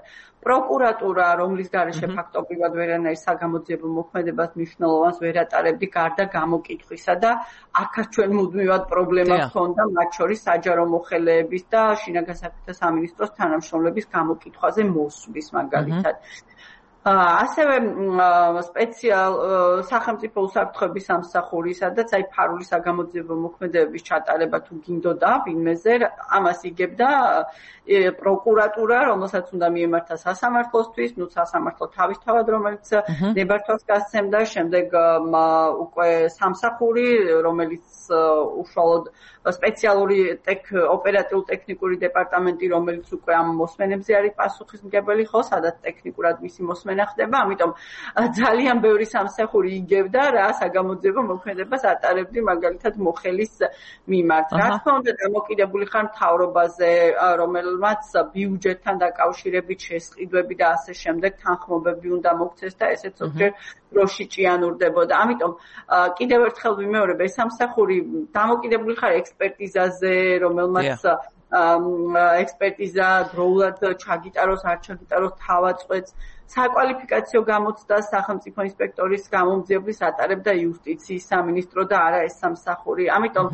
პროკურატურა, რომლის გარეშე ფაქტობრივად ვერანაირ საგამოძიებო მოქმედებას მნიშვნელოვანს ვერ ატარებდი გარდა გამოკითხვისა და აქაც ჩვენ მუდმივად პრობლემა ჰქონდა, მათ შორის საჯარო მოხელეების და შინაგან საქმეთა სამინისტროს თანამშრომლების გამოკითხვაზე მოსვლის მაგალითად. ასევე სახელმწიფო უსაფრთხოების სამსახური, სადაც აი ფარული საგამოძიებო მოქმედებების ჩატარება თუ გინდოდა ვინმეზე, ამას იგებდა პროკურატურა, რომელსაც უნდა მიემართა სასამართლოსთვის, ნუ სასამართლო თავისთავად, რომელიც ნებართვას გასცემდა, შემდეგ უკვე სამსახური, რომელიც უშუალოდ სპეციალური ოპერატიულ-ტექნიკური დეპარტამენტი, რომელიც უკვე ამ მოსმენებზე არის პასუხისმგებელი, ხო, სადაც ტექნიკურად მისი მოსმენა ხდება, ამიტომ ძალიან ბევრი სამსახური იგებდა რა საგამოძიებო მოქმედებას ატარებდი მაგალითად მოხელის მიმართ. რა თქმა უნდა, დამოკიდებული ხარ მთავრობაზე, რომელმაც ბიუჯეტთან დაკავშირებით შესყიდვები და ასე შემდეგ თანხმობები უნდა მოქცეს და ესეც ზოგჯერ დროში ჭიანურდებოდა. ამიტომ კიდევ ერთხელ ვიმეორებ, ეს სამსახური დამოკიდებული ხარ ექსპერტიზაზე, რომელმაც ექსპერტიზა დროულად ჩაგიტაროს, არ ჩაგიტაროს თავაწყვეტს, საკვალიფიკაციო გამოცდას სახელმწიფო ინსპექტორის გამომძიებლის ატარებდა იუსტიციის სამინისტრო და არა ეს სამსახური. ამიტომ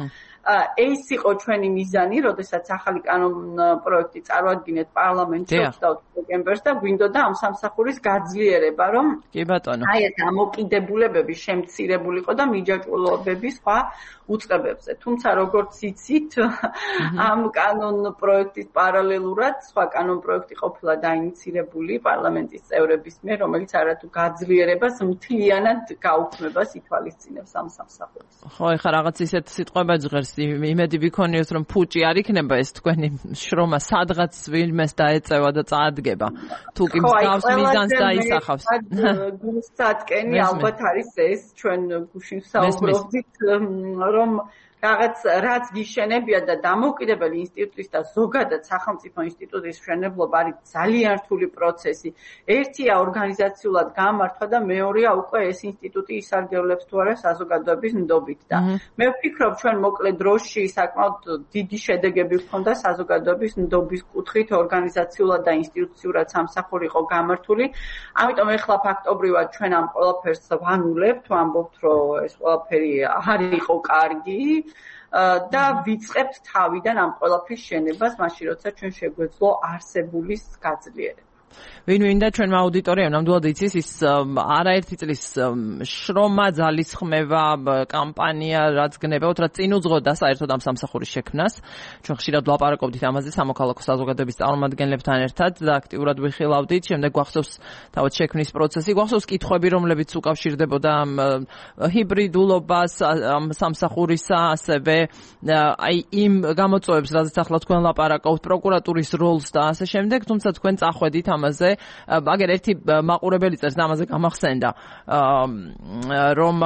ეს იყო ჩვენი მიზანი, როდესაც ახალი კანონპროექტი წარვადგინეთ პარლამენტში 20 დეკემბერს და გვინდოდა ამ სამსახურის გაძლიერება, რომ კი ბატონო. აი ეს ამოკიდებულებები შემცირებულიყო და მიჯაჭვულობები სხვა უწყებებზე. თუმცა როგორც იცით, ამ კანონპროექტის პარალელურად სხვა კანონპროექტი ყოფილა დაინიცირებული პარლამენტის წევრების მიერ, რომელიც არათუ გაძლიერებას მთლიანად გაუქმებას ითვალისწინებს ამ სამსახურს. ხო, ეხლა რაღაც ისეთ სიტყვება ჟღერს, იმედი ვიქონიოთ, რომ ფუჭი არ იქნება ეს თქვენი შრომა, სადღაც ვინმეს დაეწევა და წაადგება. თუ კი მსგავს მიზანს დაისახავს. გულსატკენი ალბათ არის ეს ჩვენ გუშინ საუბრობდით, რომ რაც გიშენებია და დამოუკიდებელი ინსტიტუტის და ზოგადად სახელმწიფო ინსტიტუტის მშენებლობა არის ძალიან რთული პროცესი. ერთია ორგანიზაციულად გამართვა და მეორეა უკვე ეს ინსტიტუტი ისარგებლებს თუ არა საზოგადოების ნდობით და მე ვფიქრობ ჩვენ მოკლე დროში საკმაოდ დიდი შედეგები ჰქონდა საზოგადოების ნდობის კუთხით ორგანიზაციულად და ინსტიტუციურად სამსახური იყო გამართული. ამიტომ ეხლა ფაქტობრივად ჩვენ ამ ყველაფერს ვანულებთ, ვამბობთ, რომ ეს ყველაფერი არ იყო კარგი. და ვიწყებთ თავიდან ამ ყველაფრის შენებას, მაშინ როცა ჩვენ შეგვეძლო არსებულის გაძლიერება. ვინ-ვინ და ჩვენმა აუდიტორიამ ნამდვილად იცის ის არაერთი წლის შრომა, ძალისხმევა, კამპანია, რაც გნებავთ, რაც წინ უძღოდა საერთოდ ამ სამსახურის შექმნას. ჩვენ ხშირად ვლაპარაკობდით ამაზე სამოქალაქო საზოგადოების წარმომადგენლებთან ერთად და აქტიურად ვიხილავდით. შემდეგ გვახსოვს თავად შექმნის პროცესი, გვახსოვს კითხვები, რომლებიც უკავშირდებოდა ამ ჰიბრიდულობას, ამ სამსახურისა, ასევე აი იმ გამოწვევებს, რაზეც ახლა თქვენ ლაპარაკობთ, პროკურატურის როლს და ასე შემდეგ, თუმცა თქვენ წახვედით ამაზე, აგერ ერთი მაყურებელი წერს და ამაზე გამახსენდა, რომ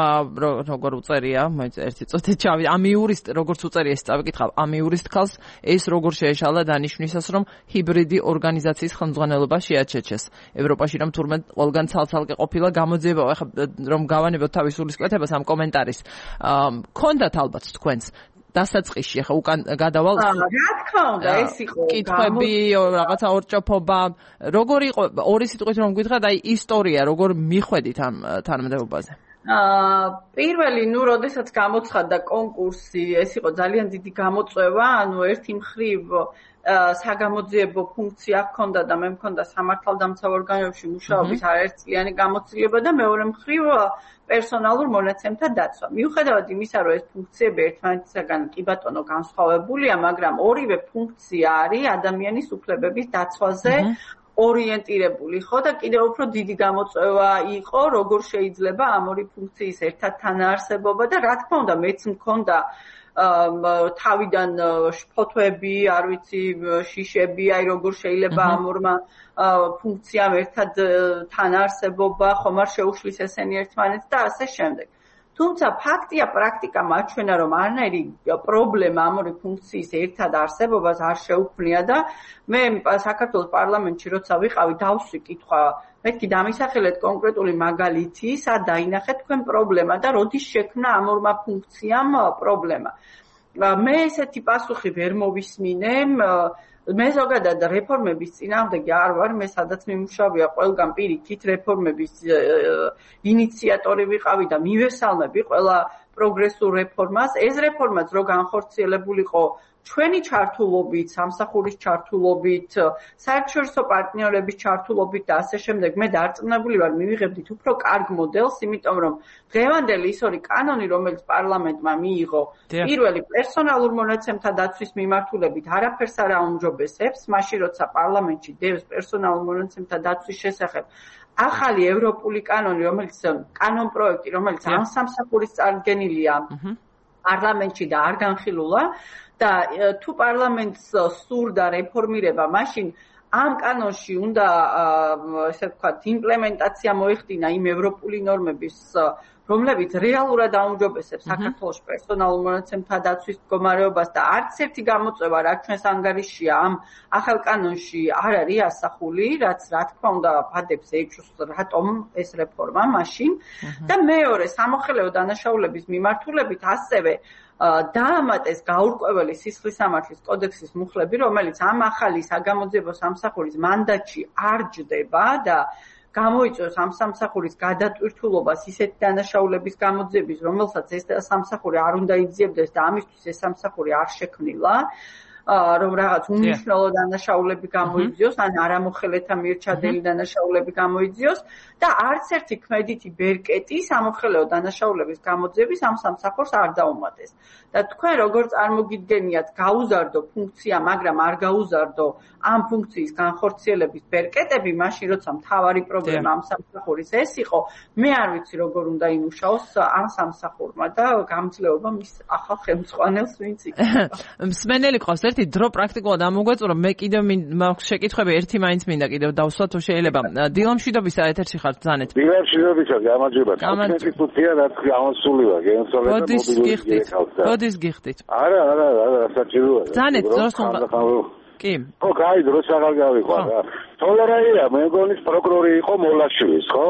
როგორ უწერია, ერთი წუთი ჩავი, ამ იურისტ როგორც უწერია ეს წავიკითხავ, ამ იურისტ ხალხს ეს როგორ შეეშალა დანიშნვისას, რომ ჰიბრიდი ორგანიზაციის ხელმძღვანელობა შეაჩეჩეს. ევროპაში რომ თურმე ყველგან ცალ-ცალკე ყოფილა გამოძიება, ახლა რომ გავანებოთ თავის სულისკვეთებას ამ კომენტარის. ქონდათ ალბათ თქვენს დასაწყისში, ახლა უკან გადავალ. რა თქმა უნდა, ეს იყო კითხვები, რაღაცა ორჭოფობა, როგორ იყო ორი სიტყვით რომ გითხრათ, აი ისტორია, როგორ მიხვედით ამ თანამდებობაზე? პირველი, როდესაც გამოცხადდა კონკურსი, ეს იყო ძალიან დიდი გამოწვევა, ერთი მხრივ საგამოძიებო ფუნქცია ჰქონდა და მე მქონდა სამართალდამცავ ორგანოებში მუშაობის არაერთწლიანი გამოცდილება და მეორე მხრივ პერსონალურ მონაცემთა დაცვა. მიუხედავად იმისა, რომ ეს ფუნქციები ერთმანეთისაგან კი ბატონო განსხვავებულია, მაგრამ ორივე ფუნქცია არის ადამიანის უფლებების დაცვაზე ორიენტირებული, ხო და კიდევ უფრო დიდი გამოწვევა იყო, როგორ შეიძლება ამ ორი ფუნქციის ერთად თანაარსებობა და რა თქმა უნდა, მეც მქონდა თავიდან ფოტოები, არ ვიცი, შიშები, აი როგორ შეიძლება ამ ორმა ფუნქციამ ერთად თანაარსებობა, ხომ არ შეუშლის ესენი ერთმანეთს და ასე შემდეგ. თუმცა ფაქტია, პრაქტიკა მაჩვენა, რომ არანაირი პრობლემა ამ ორი ფუნქციის ერთად არსებობას არ შეუქმნია და მე საქართველოს პარლამენტში როცა ვიყავი, დავსვი კითხვა, მეთქი დამისახელეთ კონკრეტული მაგალითი, სად დაინახეთ თქვენ პრობლემა და როდის შექმნა ამ ორმა ფუნქციამ პრობლემა. მე ესეთი პასუხი ვერ მოვისმინე, მე ზოგადად რეფორმების წინააღმდეგი არ ვარ, მე სადაც მიმუშავია ყველგან პირიქით რეფორმების ინიციატორი ვიყავი და მივესალმები ყველა პროგრესულ რეფორმას. ეს რეფორმაც რო განხორციელებულიყო ჩვენი ჩართულობით, სამსახურის ჩართულობით, საერთაშორისო პარტნიორების ჩართულობით და ასე შემდეგ მე დარწმუნებული ვარ მივიღებდით უფრო კარგ მოდელს, იმიტომ რომ დღევანდელი ის ორი კანონი, რომელიც პარლამენტმა მიიღო, პირველი პერსონალურ მონაცემთა დაცვის მიმართულებით არაფერს არ აუმჯობესებს, მაშინ როცა პარლამენტში დევს პერსონალურ მონაცემთა დაცვის შესახებ ახალი ევროპული კანონი, რომელიც კანონპროექტი, რომელიც ამ სამსახურის წარდგენილია პარლამენტში და არ განხილულა და თუ პარლამენტს სურდა რეფორმირება, მაშინ ამ კანონში უნდა ესე ვთქვათ იმპლემენტაცია მოეხდინა იმ ევროპული ნორმების, რომლებიც რეალურად აუმჯობესებს საქართველოს პერსონალურ მონაცემთა დაცვის მდგომარეობას და არც ერთი გამოწვევა, რაც ჩვენს ანგარიშია ამ ახალ კანონში არ არის ასახული, რაც რა თქმა უნდა ვადებს ეჭვს რატომ ეს რეფორმა მაშინ და მეორე სამოხელეო დანაშაულების მიმართულებით ასევე დაამატეს გაურკვეველი სისხლისამართლის კოდექსის მუხლები, რომელიც ამ ახალი საგამოძიებო სამსახურის მანდატში არ ჯდება და გამოიწვევს ამ სამსახურის გადატვირთულობას ისეთი დანაშაულების გამოძიების, რომელსაც ეს სამსახური არ უნდა იძიებდეს და ამისთვის ეს სამსახური არ შექმნილა, რომ რაღაც უმნიშვნელო დანაშაულები გამოიძიოს, ან არამოხელეთა მიერ ჩადენილი დანაშაულები გამოიძიოს და არც ერთი ქმედითი ბერკეტი სამოხელეო დანაშაულების გამოძიების ამ სამსახურს არ დაუმატეს. და თქვენ როგორ წარმოგიდგენიათ გაუზარდო ფუნქცია, მაგრამ არ გაუზარდო ამ ფუნქციის განხორციელების ბერკეტები, მაშინ როცა მთავარი პრობლემა ამ სამსახურის ეს იყო, მე არ ვიცი როგორ უნდა იმუშაოს ამ სამსახურმა და გამძლეობა მის ახალ ხელმძღვანელს ვინც იქნება. მსმენელი ყავს ერთი დრო პრაქტიკულად ამოგვეწურო, მე კიდევ მაქვს შეკითხვები, ერთი მაინც მინდა კიდევ დავსვათ თუ შეიძლება. დილამშვიდობისა ეთერში ხართ ზანეთ. დილამშვიდობისა, გამარჯობა. კონკრეტულია რაც გამოსული ვარ, გენსოლე და მობილური მოდის გიხდით. არა, საჭიროა. ზანეთ დროს უნდა. კი. ხო, კაი, დროს აღარ გავიყვა რა. თოლერაია, მე მგონი პროკურორი იყო მოლაშვილის, ხო?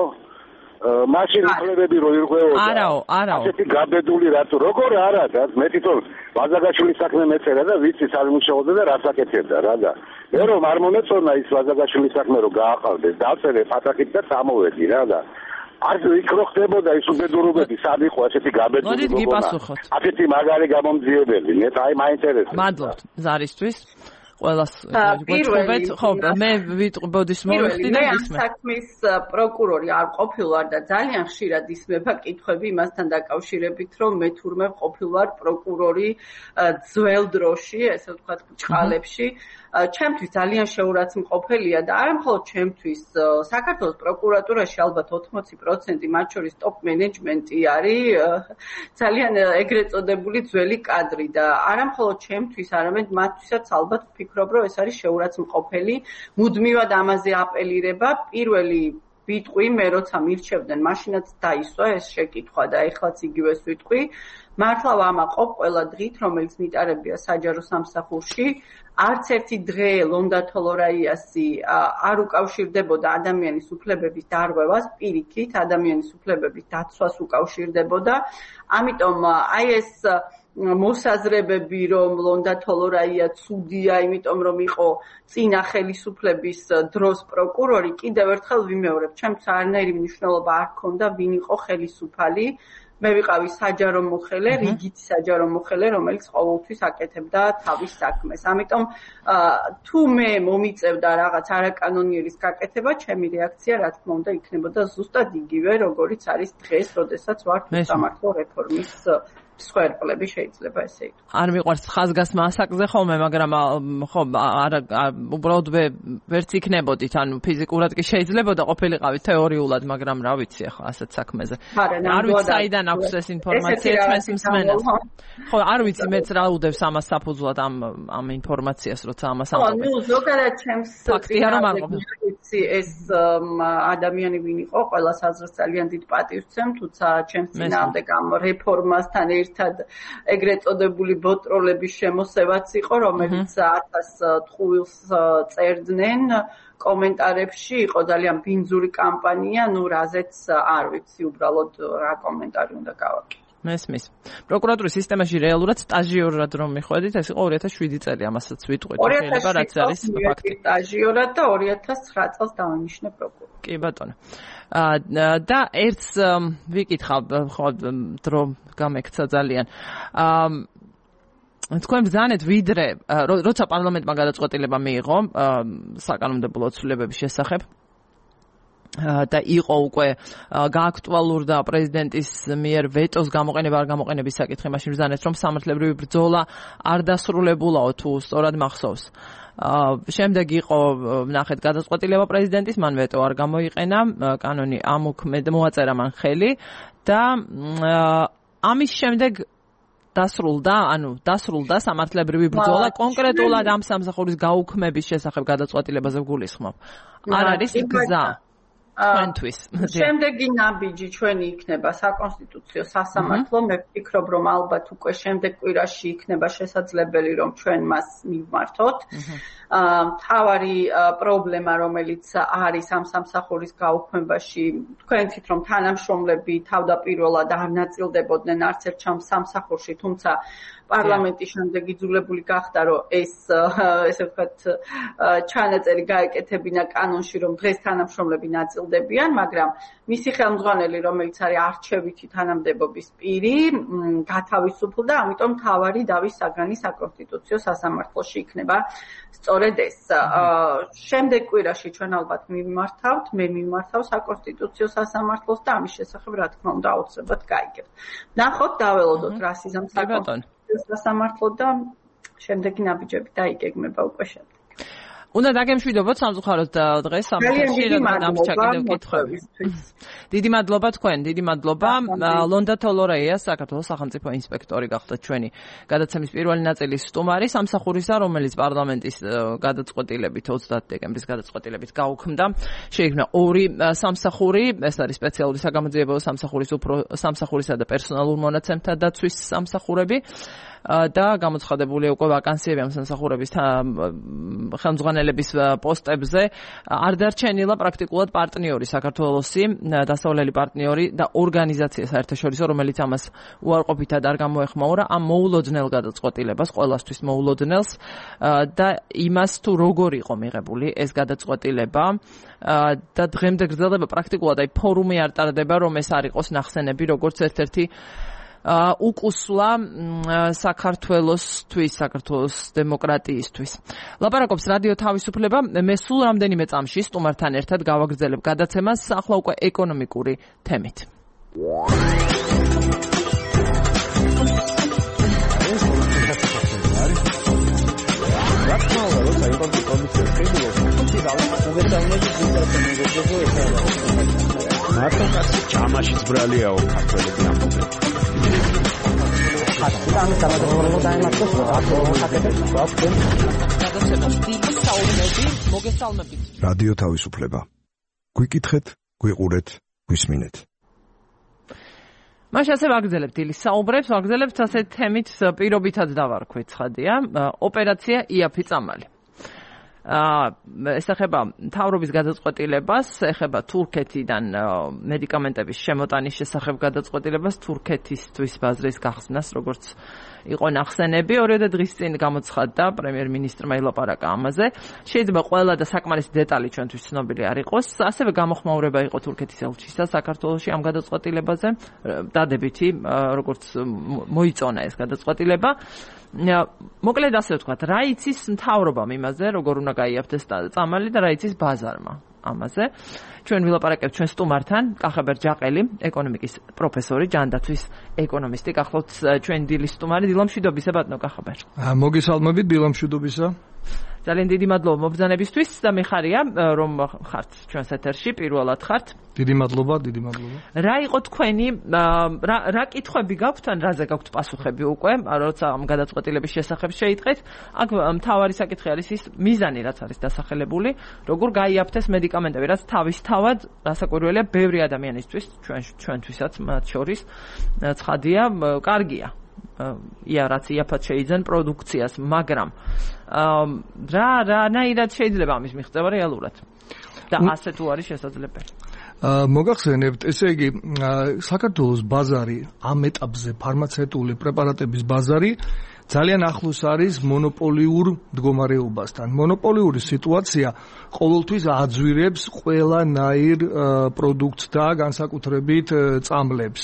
მაშინ უფლებები რო ირღვეოდა. არაო. ასეთი გაბედული რატო? როგორ არა და მე თვითონ ვაზაგაშვილის საქმე მეწერა და ვიცი სად მუშაობდა და რას აკეთებდა რა და მე რომ არ მომეწონა ის ვაზაგაშვილის საქმე რომ გააყავდეს, დავწერე ფათახით და წამოვედი რა და არ იქ რო ხდებოდა ის უბედურობები, სად იყო ასეთი გაბედული მოდით გიპასუხოთ. ასეთი მაგარი გამომძიებელი, მე აი მაინტერესებს. მადლობთ ზარისთვის. ყველას გვეთხოვეთ, ხო, მე ბოდიშ მოვიხდი და ისმე. მე საქმის პროკურორი არ ყოფილვარ და ძალიან ხშირად ისმება კითხვები იმასთან დაკავშირებით, რომ მე თურმე ყოფილვარ პროკურორი ძველ დროში, ესე ვთქვათ, ბჭყალებში. ჩემთვის ძალიან შეურაცხმყოფელია და არა მხოლოდ ჩემთვის, საქართველოს პროკურატურაში ალბათ 80% მათ შორის ტოპ მენეჯმენტი არის ძალიან ეგრეთ წოდებული ძველი კადრი და არა მხოლოდ ჩემთვის, არამედ მათთვისაც ალბათ ვფიქრობ, რომ ეს არის შეურაცხმყოფელი, მუდმივად ამაზე აპელირება. პირველი ვიტყვი, მე როცა მირჩევდნენ, მაშინაც დაისვა ეს შეკითხვა და ეხლაც იგივეს ვიტყვი. მართლა ვამაყობ ყველა დღით, რომელიც მიტარებია საჯარო სამსახურში, არც ერთი დღე ლონდა თოლორაიასი არ უკავშირდებოდა ადამიანის უფლებების დარღვევას, პირიქით ადამიანის უფლებების დაცვას უკავშირდებოდა. ამიტომ აი ეს მოსაზრებები, რომ ლონდა თოლორაია ცუდია, იმიტომ რომ იყო წინა ხელისუფლების დროს პროკურორი, კიდევ ერთხელ ვიმეორებ, ჩემს არანაირი მნიშვნელობა არ ჰქონდა, ვინ იყო ხელისუფალი. მე ვიყავი საჯარო მოხელე, რიგითი საჯარო მოხელე, რომელიც ყოველთვის აკეთებდა თავის საქმეს. ამიტომ თუ მე მომიწევდა რაღაც არაკანონიერის გაკეთება, ჩემი რეაქცია, რა თქმა უნდა, იქნებოდა ზუსტად იგივე, როგორიც არის დღეს, როდესაც ვარ სამართლო რეფორმის სვერპლები შეიძლება ესე ითქვას. არ მიყვარს ხაზგასმა ასაკზე ხოლმე, მაგრამ ხო, არა უბრალოდ ვერც იქნებოდით, ანუ ფიზიკურად კი შეიძლებოდა ყოფილიყავით თეორიულად, მაგრამ რა ვიცი ახლა ასეთ საქმეზე. არ ვიცი საიდან აქვს ეს ინფორმაცია ჩვენს მსმენელს. ხო, არ ვიცი მეც რა უდევს ამას საფუძვლად ამ ინფორმაციას, როცა ამას ამბობ. ხო, ნუ ზოგადად ჩემს ფაქტია რომ არ ყოფილა. ეს ადამიანი ვინ იყო, ყველას აზრს ძალიან დიდ პატივს ვცემ, თუმცა ჩემს წინააღმდეგ ამ რეფორმასთან ერთად ეგრეთ წოდებული ბოტროლების შემოსევაც იყო, რომელიც 1000 ტყუილს წერდნენ კომენტარებში, იყო ძალიან ბინძური კამპანია, ნუ რაზეც არ ვიცი უბრალოდ რა კომენტარი უნდა გავაკეთო. მესმის. პროკურატურის სისტემაში რეალურად სტაჟიორად რომ მიხვედით, ეს იყო 2007 წელი, ამასაც ვიტყვით, შეიძლება რაც არის ფაქტი. სტაჟიორად და 2009 წელს დავინიშნე პროკურორი. კი ბატონო. და ერთს ვიკითხავ, ხო, დრო გამექცა ძალიან. თქვენ ბრძანეთ ვიდრე როცა პარლამენტმა გადაწყვეტილება მიიღო საკანონმდებლო ცვლილებების შესახებ და იყო უკვე გააქტუალურდა პრეზიდენტის მიერ ვეტოს გამოყენება არ გამოყენების საკითხი, მაშინ ბრძანეთ რომ სამართლებრივი ბრძოლა არ დასრულებულაო თუ სწორად მახსოვს. შემდეგ იყო ნახეთ გადაწყვეტილება პრეზიდენტის, მან ვეტო არ გამოიყენა, კანონი მოაწერა მან ხელი და ამის შემდეგ დასრულდა სამართლებრივი ბრძოლა კონკრეტულად ამ სამსახურის გაუქმების შესახებ გადაწყვეტილებაზე გულისხმობ. არ არის გზა ჩვენთვის. შემდეგი ნაბიჯი ჩვენი იქნება საკონსტიტუციო სასამართლო. მე ვფიქრობ, რომ ალბათ უკვე შემდეგ კვირაში იქნება შესაძლებელი, რომ ჩვენ მას მივმართოთ. მთავარი პრობლემა, რომელიც არის ამ სამსახურის გაუქმებაში, თქვენით რომ თანამშრომლები თავდაპირველად არ ნაწილდებოდნენ არც ერთ სამსახურში, თუმცა პარლამენტის შემდეგ იძულებული გახდა, რომ ესე ვთქვათ, ჩანაწერი გაეკეთებინა კანონში, რომ დღეს თანამშრომლები ნაწილდებიან, მაგრამ მისი ხელმძღვანელი, რომელიც არის არჩევითი თანამდებობის პირი, გათავისუფლდა, ამიტომ მთავარი დავის საგანი საკონსტიტუციო სასამართლოში იქნება სწორედ ეს. შემდეგ კვირაში ჩვენ ალბათ მივმართავთ, მე მივმართავ საკონსტიტუციო სასამართლოს და ამის შესახებ რა თქმა უნდა აუცილებლად გაიგებთ. ნახოთ, დაველოდოთ რა სიზამ საკონსტიტუციო სასამართლო და შემდეგი ნაბიჯები დაიგეგმება უკვე შემდეგ. უნდა დაგემშვიდობოთ სამწუხაროდ დღეს სამხში რადგან ჩაკიდებ კითხვები. დიდი მადლობა თქვენ, დიდი მადლობა. ლონდა თოლორეია, საქართველოს სახელმწიფო ინსპექტორი გახდა ჩვენი გადაცემის პირველი ნაწილის სტუმარი სამსახურისა, რომელიც პარლამენტის გადაწყვეტილებით 30 დეკემბრის გადაწყვეტილებით გაუქმდა. შეიქმნა ორი სამსახური, ეს არის სპეციალური საგამოძიებო სამსახურისა და პერსონალურ მონაცემთა დაცვის სამსახურები. და გამოცხადებულია უკვე ვაკანსიები ამ სამსახურების ხელმძღვანელების პოსტებზე. არ დარჩენილა პრაქტიკულად პარტნიორი საქართველოსი, დასავლელი პარტნიორი და ორგანიზაცია საერთაშორისო, რომელიც ამას უარყოფითად არ გამოეხმაურა ამ მოულოდნელ გადაწყვეტილებას, ყველასთვის მოულოდნელს და იმას თუ როგორ იყო მიღებული ეს გადაწყვეტილება და დღემდე გრძელდება პრაქტიკულად აი ფორუმი არ ტარდება, რომ ეს არ იყოს ნახსენები როგორც ერთ-ერთი უკუსლა საქართველოსთვის, საქართველოს დემოკრატიისთვის. ლაპარაკობს რადიო თავისუფლება. მე სულ რამდენიმე წამში სტუმართან ერთად გავაგრძელებ გადაცემას ახლა უკვე ეკონომიკური თემით. მარტო ჩამაშიც ბრალიაო ქართველები ამბობენ. რადიო თავისუფლება. გვიკითხეთ, გვიყურეთ, გვისმინეთ. მაშ ასე ვაგრძელებთ დილის საუბრებს, ვაგრძელებთ ასეთ თემით პირობითად დავარქვით ცხადია, ოპერაცია იაფი წამალი. ეხება მთავრობის გადაწყვეტილებას, ეხება თურქეთიდან მედიკამენტების შემოტანის შესახებ გადაწყვეტილებას, თურქეთისთვის ბაზრის გახსნას, როგორც იყო ნახსენები. 2 დღის წინ გამოცხადდა პრემიერ-მინისტრმა ილაპარაკა ამაზე. შეიძლება ყველა და საკმარისი დეტალი ჩვენთვის ცნობილი არ იყოს. ასევე გამოხმაურება იყო თურქეთის ელჩისა საქართველოში ამ გადაწყვეტილებაზე, დადებითი, როგორც მოიწონა ეს გადაწყვეტილება. მოკლედ ასე ვთქვათ, რა იცის მთავრობამ იმაზე, როგორ უნდა გაიაფთეს წამალი და რა იცის ბაზარმა ამაზე. ჩვენ ვილაპარაკებთ ჩვენ სტუმართან, კახაბერ ჯაყელი, ეკონომიკის პროფესორი, ჯანდაცვის ეკონომისტი, გახლავთ ჩვენ დილის სტუმარი. დილამშვიდობისა ბატონო კახაბერ. მოგესალმებით, დილამშვიდობისა. ძალიან დიდი მადლობა მობრძანებისთვის და მე ხარია რომ ხართ ჩვენს ეთერში, პირველად ხართ. დიდი მადლობა, დიდი მადლობა. რა იყო თქვენი რა კითხვები გაქვთ ან რაზე გაქვთ პასუხები უკვე, როცა ამ გადაწყვეტილების შესახებ შეიტყეთ? აქ მთავარი საკითხი არის ის მიზანი, რაც არის დასახელებული, როგორ გაიაფთეს მედიკამენტები, რაც თავისთავად რასაკვირველია ბევრი ადამიანისთვის, ჩვენთვისაც მათ შორის ცხადია, კარგია. რაც იაფად შეიძენ პროდუქციას, მაგრამ რანაირად შეიძლება ამის მიღწევა რეალურად და ასე თუ არის შესაძლებელი? მოგახსენებთ, ესე იგი, საქართველოს ბაზარი ამ ეტაპზე ფარმაცევტული პრეპარატების ბაზარი ძალიან ახლოს არის მონოპოლიურ მდგომარეობასთან. მონოპოლიური სიტუაცია ყოველთვის აძვირებს ყველანაირ პროდუქტს და განსაკუთრებით წამლებს.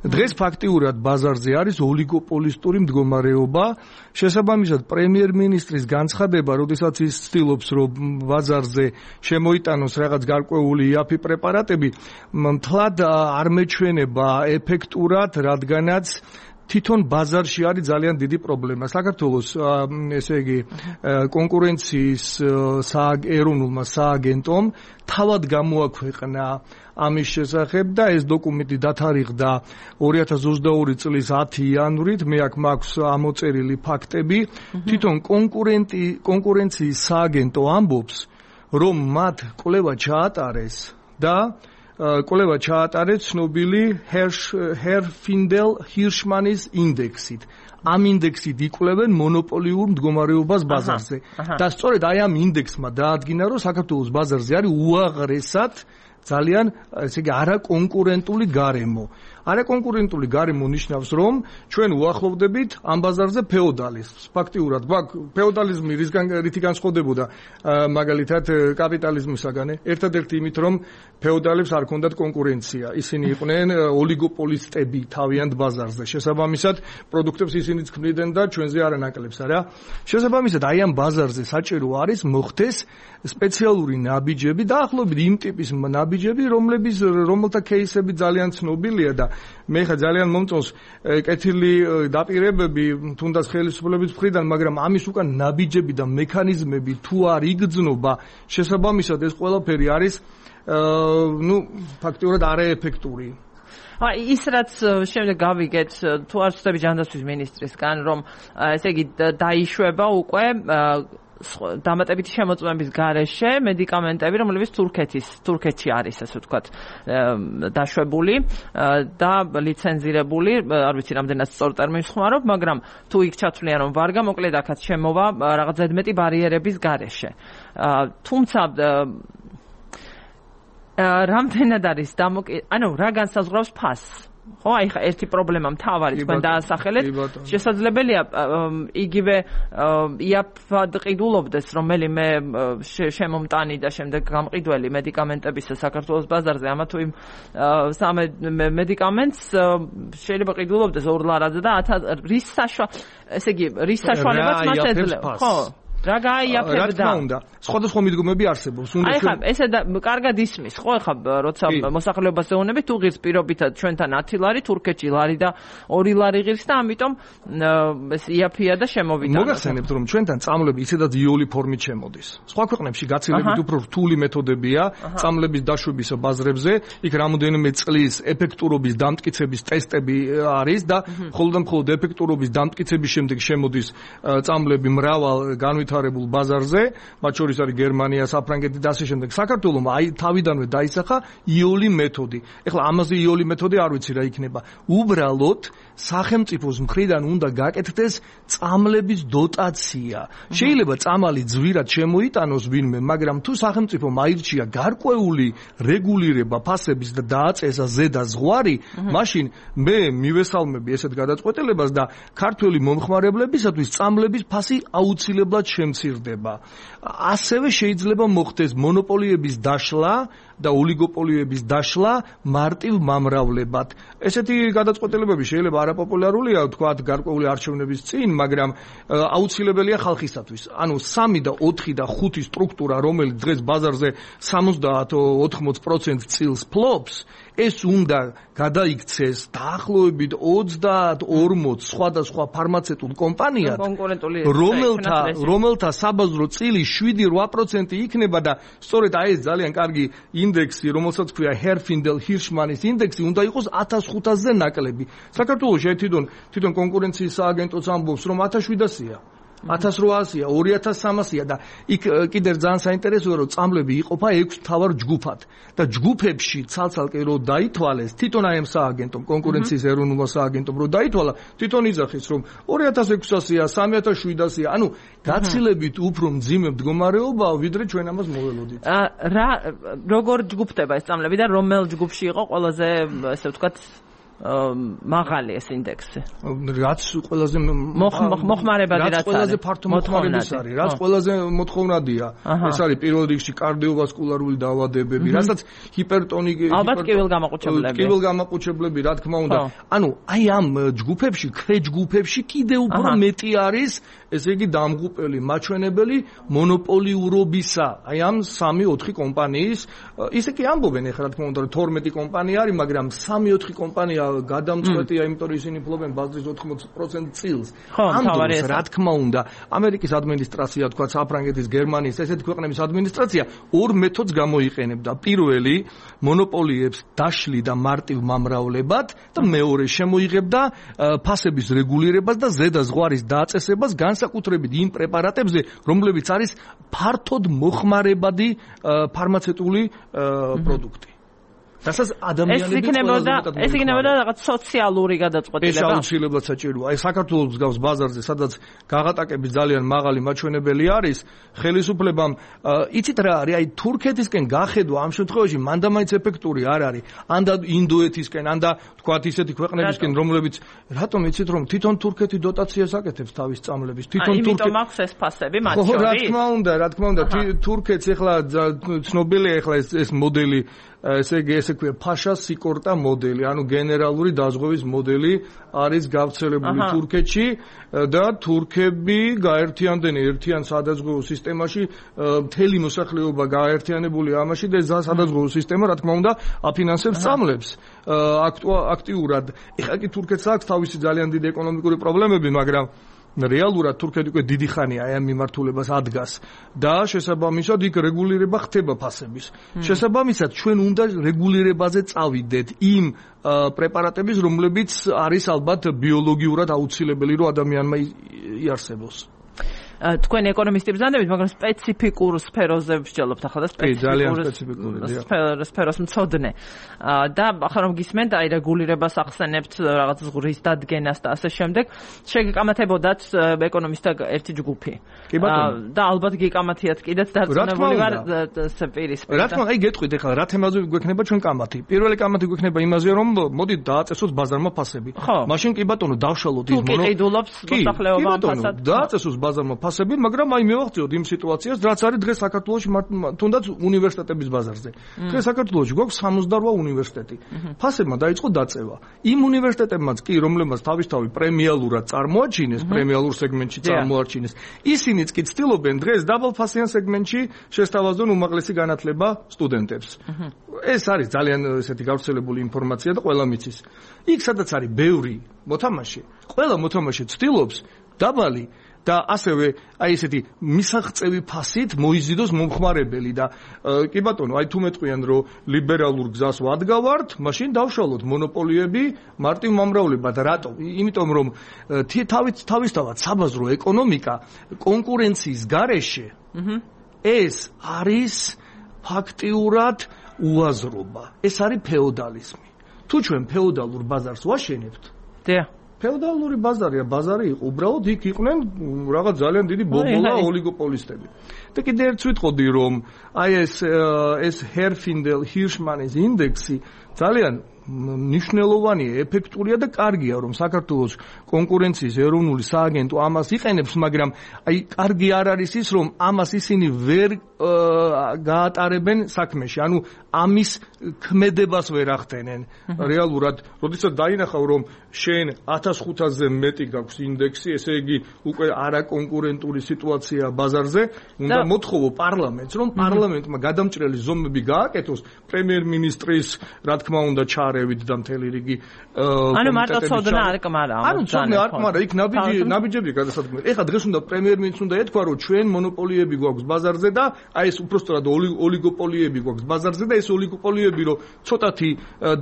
დღეს ფაქტიურად ბაზარზე არის ოლიგოპოლისტური მდგომარეობა. შესაბამისად, პრემიერ-მინისტრის განცხადება, როდესაც ის ცდილობს, რომ ბაზარზე შემოიტანოს რაღაც გარკვეული იაფი პრეპარატები, მთლად არ მეჩვენება ეფექტურად, რადგანაც თვითონ ბაზარში არის ძალიან დიდი პრობლემა. საქართველოს ესე იგი კონკურენციის ეროვნულმა სააგენტომ თავად გამოაქვეყნა ამის შესახებ და ეს დოკუმენტი დათარიღდა 2022 წლის 10 იანვრით. მე აქ მაქვს ამოწერილი ფაქტები. თვითონ კონკურენციის სააგენტო ამბობს, რომ მათ კვლევა ჩაატარეს და კვლევა ჩაატარეს ცნობილი ჰერფინდელ-ჰირშმანის ინდექსით. ამ ინდექსით იკვლევენ მონოპოლიურ მდგომარეობას ბაზარზე. და სწორედ აი ამ ინდექსმა დაადგინა, რომ საქართველოს ბაზარზე არის უაღრესად ძალიან ესე იგი არაკონკურენტული გარემო. არაკონკურენტული გარემო ნიშნავს, რომ ჩვენ უახლოვდებით ამ ბაზარზე ფეოდალიზმს. ფაქტიურად, ფეოდალიზმი რითი განსხვავდებოდა მაგალითად კაპიტალიზმისაგან? ერთადერთი იმით, რომ ფეოდალებს არ ჰქონდათ კონკურენცია. ისინი იყვნენ ოლიგოპოლისტები თავიანთ ბაზარზე. შესაბამისად, პროდუქტებს ისინიც ქმნიდნენ და ჩვენზე არანაკლებს, არა? შესაბამისად, აი ამ ბაზარზე საჭირო არის მოხდეს სპეციალური ნაბიჯები, დაახლოებით იმ ტიპის ნაბიჯები, რომელთა кейსები ძალიან ცნობილია და მე ხა ძალიან მომწონს კეთილი დაპირებები თუნდაც ხელისუფლების მხრიდან, მაგრამ ამის უკან ნაბიჯები და მექანიზმები თუ არ იგრძნობა, შესაბამისად ეს ყველაფერი არის ფაქტიურად არაეფექტური. ის რაც შემდეგ გავიგეთ, თუ არ ვცდები ჯანდაცვის მინისტრისგან, რომ ესე იგი დაიშვება უკვე დამატებითი შემოწმების გარეშე მედიკამენტები, რომლებიც თურქეთში არის, ასე ვთქვათ, დაშვებული და ლიცენზირებული, არ ვიცი რამდენად სწორ ტერმინს ხმარობ, მაგრამ თუ იქ ჩათვლიან, რომ ვარ გამოკლედ აქაც შემოვა რაღაც ზედმეტი ბარიერების გარეშე. თუმცა რამდენად არის რა განსაზღვრავს ფასს? ხო, აი ხა ერთი პრობლემა მთავარი თქვენ დაასახელეთ. შესაძლებელია იგივე იაფად ყიდულობდეს რომელიმე შემომტანი და შემდეგ გამყიდველი მედიკამენტების საქართველოს ბაზარზე, ამა თუ იმ სამე მედიკამენტს შეიძლება ყიდულობდეს ორ ლარაზე და რის საშუალებაც მას ეძლევა. ხო, რა გაიაფებდა? რა თქმა უნდა, სხვადასხვა მიდგომები არსებობს. აი ხა ესა და კარგად ისმის, ხო, ხა როცა მოსახლეობას ეუბნებით, თუ ღირს პირობითად ჩვენთან 10 ლარი, თურქეთში ლარი და 2 ლარი ღირს და ამიტომ ეს იაფია და შემოვიდა. მოგახსენებთ, რომ ჩვენთან წამლები ისედაც იოლი ფორმით შემოდის. სხვა ქვეყნებში გაცილებით უფრო რთული მეთოდებია წამლების დაშვების ბაზრებზე, იქ რამოდენიმე წლის ეფექტურობის დამტკიცების ტესტები არის და მხოლოდ და მხოლოდ ეფექტურობის დამტკიცების შემდეგ შემოდის წამლები მრავალ განვითარებულ ბაზარზე, მათ შორის არის გერმანია, საფრანგეთი და ასე შემდეგ. საქართველოს აი თავიდანვე დაისახა იოლი მეთოდი. ეხლა ამაზე იოლი მეთოდი არ ვიცი რა იქნება. უბრალოდ სახელმწიფოს მხრიდან უნდა გაკეთდეს წამლების დოტაცია. შეიძლება წამალი ძვირად შემოიტანოს ვინმე, მაგრამ თუ სახელმწიფომ აირჩია გარკვეული რეგულირება ფასების და დააწესა ზედა ზღვარი, მაშინ მე მივესალმები ესეთ გადაწყვეტილებას და ქართველი მომხმარებლებისათვის წამლების ფასი აუცილებლად შემცირდება. ასევე შეიძლება მოხდეს მონოპოლიების დაშლა და ოლიგოპოლიების დაშლა მარტივ მომრავლებად. ესეთი გადაწყვეტილებები შეიძლება არაპოპულარულია, თქვათ, გარკვეული არჩევნების წინ, მაგრამ აუცილებელია ხალხისათვის. ანუ 3 და 4 და 5 სტრუქტურა, რომელიც დღეს ბაზარზე 70-80% წილს ფლობს, ეს უნდა გადაიქცეს დაახლოებით 30-40 სხვადასხვა ფარმაცევტულ კომპანიად, რომელთა საბაზრო წილი 7-8% იქნება და სწორედ აი ეს ძალიან კარგი ინდექსი, რომელსაც ქვია ჰერფინდელ-ჰირშმანის ინდექსი, უნდა იყოს 1500-ზე ნაკლები. საქართველოში თვითონ კონკურენციის სააგენტოც ამბობს, რომ 1700-ია. 1800-ია, 2300-ია და იქ კიდევ ძალიან საინტერესოა, რომ წამლები იყოფა 6 მთავარ ჯგუფად და ჯგუფებში ცალ-ცალკე რო დაითვალეს, თვითონ აი ამ სააგენტომ, კონკურენციის ეროვნულმა სააგენტომ რო დაითვალა, თვითონ იძახის, რომ 2600-ია, 3700-ია, ანუ გაცილებით უფრო მძიმე მდგომარეობაა, ვიდრე ჩვენ ამას მოველოდით. როგორ ჯგუფდება ეს წამლები და რომელ ჯგუფში იყო ყველაზე, ესე ვთქვათ, მაღალი ეს ინდექსი. რაც ყველაზე მოხმარებადი რაც ყველაზე ფართო მოხმარების არის, რაც ყველაზე მოთხოვნადია. ეს არის პირველ რიგში კარდიოვასკულარული დაავადებები, რასაც ჰიპერტონიკი, ალბათ კიბილგამაყუჩებლები, რა თქმა უნდა. ანუ აი ამ ჯგუფებში, ქვეჯგუფებში კიდევ უფრო მეტი არის, ესე იგი დამღუპელი, მაჩვენებელი მონოპოლიურობისა. აი ამ 3-4 კომპანიის, ისე კი ამბობენ ეხლა რა თქმა უნდა 12 კომპანია არის, მაგრამ 3-4 კომპანია გადამწყვეტია, იმიტომ რომ ისინი ფლობენ ბაზრის 80% წილს. ამ დროს რა თქმა უნდა, ამერიკის ადმინისტრაცია, თქვა საფრანგეთის, გერმანიის, ესეთი ქვეყნების ადმინისტრაცია ორ მეთოდს გამოიყენებდა. პირველი, მონოპოლიებს დაშლიდა მარტივ მამრავლებად და მეორე შემოიღებდა ფასების რეგულირებას და ზედა ზღვარის დაწესებას განსაკუთრებით იმ პრეპარატებზე, რომლებიც არის ფართოდ მოხმარებადი ფარმაცევტული პროდუქტი. რასაც ადამიანები ეს იქნებოდა რაღაც სოციალური გადაწყვეტილება. ეს აუცილებლად საჭიროა. აი საქართველოს გავს ბაზარზე, სადაც გაღატაკების ძალიან მაღალი მაჩვენებელი არის, ხელისუფლებამ იცით რა არის, აი თურქეთისკენ გახედვა ამ შემთხვევაში მანდამაინც ეფექტური არ არის. ან და ინდოეთისკენ, ან და თქვათ ისეთი ქვეყნებისკენ, რომლებიც რატომ იცით რომ თვითონ თურქეთი დოტაციას აკეთებს თავის წამლების. თვითონ თურქეთი იმიტომ აქვს ეს ფასები მათ შორის. რა თქმა უნდა, თურქეთს ეხლა ცნობილია ეხლა ეს მოდელი ესე იგი ესე ქვია ფაშა სიკორტა მოდელი, ანუ გენერალური დაზღვევის მოდელი არის გავრცელებული თურქეთში და თურქები გაერთიანდნენ ერთიან სადაზღვევო სისტემაში, მთელი მოსახლეობა გაერთიანებული ამაში და სადაზღვევო სისტემა რა თქმა უნდა აფინანსებს წამლებს აქტიურად. ეხლა კი თურქეთს აქვს თავისი ძალიან დიდი ეკონომიკური პრობლემები, მაგრამ რეალურად თურქეთი უკვე დიდი ხანია აი ამ მიმართულებას ადგას და შესაბამისად იქ რეგულირება ხდება ფასების. შესაბამისად ჩვენ უნდა რეგულირებაზე წავიდეთ იმ პრეპარატების, რომლებიც არის ალბათ ბიოლოგიურად აუცილებელი, რომ ადამიანმა იარსებოს. თქვენ ეკონომისტები ზანდებით, მაგრამ სპეციფიკურ სფეროზე ვსჯელობთ ახლა და სფეროს მცოდნე. და ახლა რომ გისმენთ, აი რეგულირებას ახსენებთ, რაღაც ზღვის დადგენას და ასე შემდეგ, შეგეკამათებოდათ ეკონომისტთა ერთი ჯგუფი. და ალბათ გეკამათიათ კიდეც დარწმუნებული ვარ სპირისპირ. რა თქმა უნდა, აი გეტყვით ახლა რა თემაზე გვექნება ჩვენ კამათი. პირველი კამათი გვექნება იმაზე, რომ მოდით დააწესოთ ბაზარმა ფასები. მაშინ კი ბატონო დავშალოთ ის თუ ყიდულობს მოსახლეობა ფასად. დააწესოს ბაზარმა ფასები, მაგრამ აი მივახციოთ იმ სიტუაციას, რაც არის დღეს საქართველოში თუნდაც უნივერსიტეტების ბაზარზე. დღეს საქართველოში გვაქვს 68 უნივერსიტეტი. ფასებმა დაიწყო დაწევა. იმ უნივერსიტეტებმაც კი, რომლებმაც თავისთავად პრემიალურად წარმოაჩინეს, პრემიალურ სეგმენტში წარმოაჩინეს, ისინიც კი ცდილობენ დღეს დაბალფასიან სეგმენტში შესთავაზონ უმაღლესი განათლება სტუდენტებს. ეს არის ძალიან ესეთი გავრცელებული ინფორმაცია და ყველა მიცის. იქ სადაც არის ბევრი მოთამაშე, ყველა მოთამაშე ცდილობს დაბალი და ასევე აი ესეთი მისაღწევი ფასით მოიზიდოს მომხმარებელი და კი ბატონო, აი თუ მეტყვიან რომ ლიბერალურ გზას ვადგავართ, მაშინ დავშალოთ მონოპოლიები მარტივ მომრავლებად. რატომ? იმიტომ რომ თავისთავად საბაზრო ეკონომიკა კონკურენციის გარეშე ეს არის ფაქტიურად უაზრობა. ეს არის ფეოდალიზმი. თუ ჩვენ ფეოდალურ ბაზარს ვაშენებთ, ფეოდალური ბაზარია, ბაზარი იყო, უბრალოდ იქ იყვნენ რაღაც ძალიან დიდი ბობოლა ოლიგოპოლისტები. და კიდე ერთს ვიტყოდი, რომ აი ეს ჰერფინდელ-ჰირშმანის ინდექსი ძალიან ნიშნულოვანია, ეფექტურია და კარგია, რომ საქართველოს კონკურენციის ეროვნული სააგენტო ამას იყენებს, მაგრამ აი კარგი არ არის ის, რომ ამას ისინი ვერ გაატარებენ საქმეში, ანუ ამის ქმედებას ვერ ახდენენ. რეალურად, როდესაც დაინახავ, რომ შენ 1500-ზე მეტი გაქვს ინდექსი, ესე იგი უკვე არაკონკურენტული სიტუაცია ბაზარზე, უნდა მოთხოვო პარლამენტს, რომ პარლამენტმა გადამჭრელი ზომები გააკეთოს პრემიერ-მინისტრის, რა თქმა უნდა, ჩარევით და მთელი რიგი ანუ მარტო ცოდნა არ კმარა. ანუ ცოდნა არ კმარა, იქ ნაბიჯები გადასადგმელი. ეხლა დღეს უნდა პრემიერ-მინისტრს უნდა ეთქვა, რომ ჩვენ მონოპოლიები გვაქვს ბაზარზე და აი ეს უпростоრად ოლიგოპოლიები გვაქვს ბაზარზე და ეს ოლიგოპოლიები რომ ცოტათი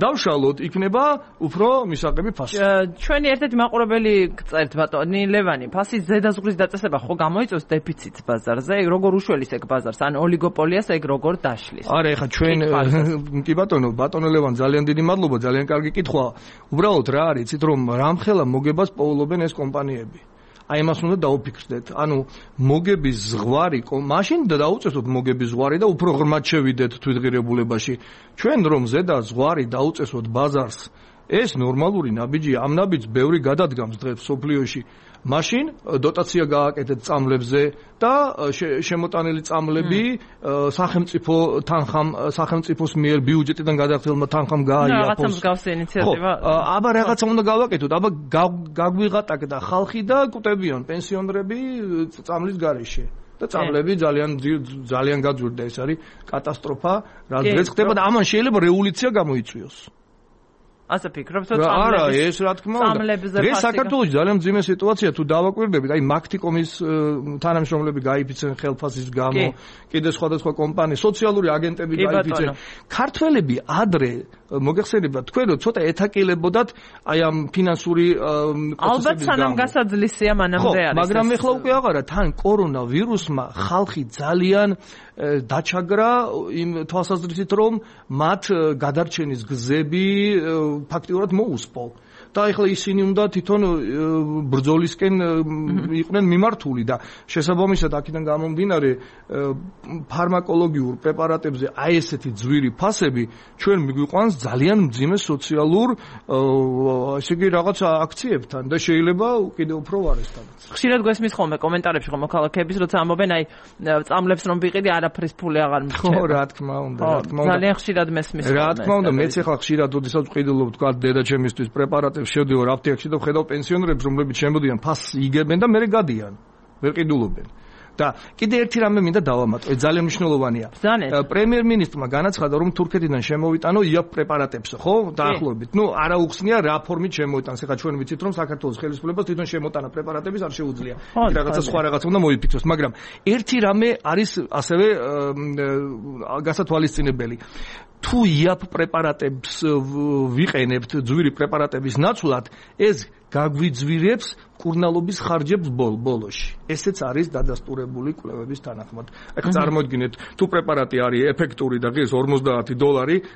დავშალოთ, იქნება უფრო მისაღები ფასი. ჩვენი ერთ-ერთი მაყურებელი გწერთ ბატონი ლევანი, ფასის ზედაზღვრის დაწესება ხო გამოიწვევს დეფიციტს ბაზარზე? როგორ უშველის ეგ ბაზარს? ან ოლიგოპოლიას ეგ როგორ დაშლის? არა, ეხლა ჩვენ კი ბატონო ლევან, ძალიან დიდი მადლობა, ძალიან კარგი კითხვა. უბრალოდ რა არის, იცით რომ რამხელა მოგებას პოულობენ ეს კომპანიები. აი მას უნდა დაუფიქრდეთ. ანუ მოგების ზღვარი, მაშინ დაუწესოთ მოგების ზღვარი და უფრო ღრმად შევიდეთ თვითღირებულებაში. ჩვენ რომ ზედა ზღვარი დაუწესოთ ბაზარს ეს ნორმალური ნაბიჯია. ამ ნაბიჯს ბევრი გადადგამს დღეს სოფლიოში. მაშინ დოტაცია გააკეთეთ წამლებზე და შემოტანილი წამლები სახელმწიფოს მიერ ბიუჯეტიდან გადახდელმა თანხამ გააიაფოს. რაღაცა მსგავსი ინიციატივა. აბა რაღაცა უნდა გავაკეთოთ. აბა გაგვიღატაკდა ხალხი და კვდებიან პენსიონერები წამლის გარეშე. და წამლები ძალიან გაძვირდა. ეს არის კატასტროფა, რაც ხდება და ამან შეიძლება რევოლუცია გამოიწვიოს. ასე ფიქრობთ, რომ არა, ეს რა თქმა უნდა. ეს საქართველოში ძალიან მძიმე სიტუაცია თუ დავაკვირდებით, აი მაქტიკომის თანამშრომლები გაიფიცენ ხელფასის გამო, კიდე სხვადასხვა კომპანია, სოციალური აგენტები გაიფიცენ. ქართველები ადრე მოგეხსენებათ თქვენ რომ ცოტა ეთაკილებოდათ აი ამ ფინანსური ალბათ სანამ გასაძლისია მანამდე არის. მაგრამ ეხლა უკვე აღარა თან კორონავირუსმა ხალხი ძალიან დაჩაგრა იმ თვალსაზრისით რომ მათ გადარჩენის გზები ფაქტიურად მოუსპო. და ეხლა ისინი უნდა თვითონ ბრძოლისკენ იყვნენ მიმართული და შესაბამისად აქედან გამომდინარე ფარმაკოლოგიურ პრეპარატებზე აი ესეთი ძვირი ფასები ჩვენ მიგვიყვანს ძალიან მძიმე სოციალურ ესე იგი რაღაც აქციებთან და შეიძლება კიდევ უფრო ვარესთანაც. ხშირად გვესმის ხოლმე კომენტარებში ხომ მოქალაქეების როცა ამბობენ აი წამლებს რომ ვიყიდი არაფრის ფული აღარ მრჩება. ხო რა თქმა უნდა. ძალიან ხშირად მესმის ხოლმე. რა თქმა უნდა მეც ახლა ხშირად ოდესაც ვყიდულობ თქვა დედა ჩემისთვის პრეპარატებს შევდივარ აფთიაქში და ვხედავ პენსიონერებს რომლებიც შემოდიან ფასს იგებენ და მერე გადიან ვერ ყიდულობენ და კიდე ერთი რამე მინდა დავამატო ძალიან მნიშვნელოვანია პრემიერ-მინისტრმა განაცხადა რომ თურქეთიდან შემოვიტანო იაფ პრეპარატებს ხო დაახლოებით ნუ არა უხსნია რა ფორმით შემოვიტანს ეხლა ჩვენ ვიცით რომ საქართველოს ხელისუფლებას თვითონ შემოტანა პრეპარატების არ შეუძლია რაღაცა სხვა რაღაცა უნდა მოიფიქროს მაგრამ ერთი რამე არის ასევე გასათვალისწინებელი თუ იაფ პრეპარატებს ვიყენებთ ძვირი პრეპარატების ნაცვლად ეს გაგვიძვირებს კურნალობის ხარჯებს ბოლოში. ესეც არის დადასტურებული კვლევების თანახმად. ეხლა წარმოიდგინეთ, თუ პრეპარატი არის ეფექტური და ღირს $50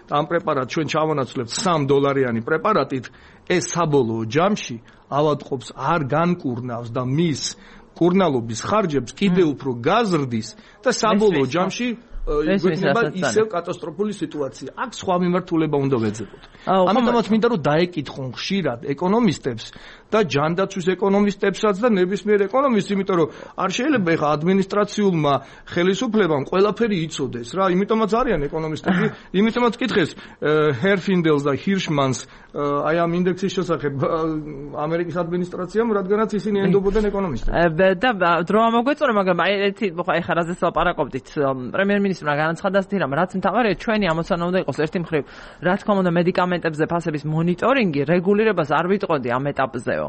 და ამ პრეპარატს ჩვენ ჩავანაცვლებთ $3 პრეპარატით, ეს საბოლოო ჯამში ავადმყოფს არ განკურნავს და მის კურნალობის ხარჯებს კიდევ უფრო გაზრდის და საბოლოო ჯამში იქნება ისევ კატასტროფული სიტუაცია. აქ სხვა მიმართულება უნდა ვეძებოთ. ამიტომაც მინდა რომ დაეკითხონ ხშირად ეკონომისტებს და ჯანდაცვის ეკონომისტებსაც და ნებისმიერ ეკონომისტს, იმიტომ რომ არ შეიძლება ეხა ადმინისტრაციულმა ხელისუფლებამ ყველაფერი იცოდეს რა, იმიტომაც არიან ეკონომისტები, იმიტომაც კითხეს ჰერფინდელს და ჰირშმანს აი ამ ინდექსის შესახებ ამერიკის ადმინისტრაციამ, რადგანაც ისინი ენდობოდნენ ეკონომისტებს. და დრო ამოგვეწონა, მაგრამ აი ერთი ეხა რაზეც ლაპარაკობდით, პრემიერ-მინისტრმა განაცხადა ასეთი რამ, რაც მთავარია ჩვენი ამოცანა უნდა იყოს ერთი მხრივ, რა თქმა უნდა მედიკამენტებზე ფასების მონიტორინგი, რეგულირებას არ ვიტყოდი ამ ეტაპზეო.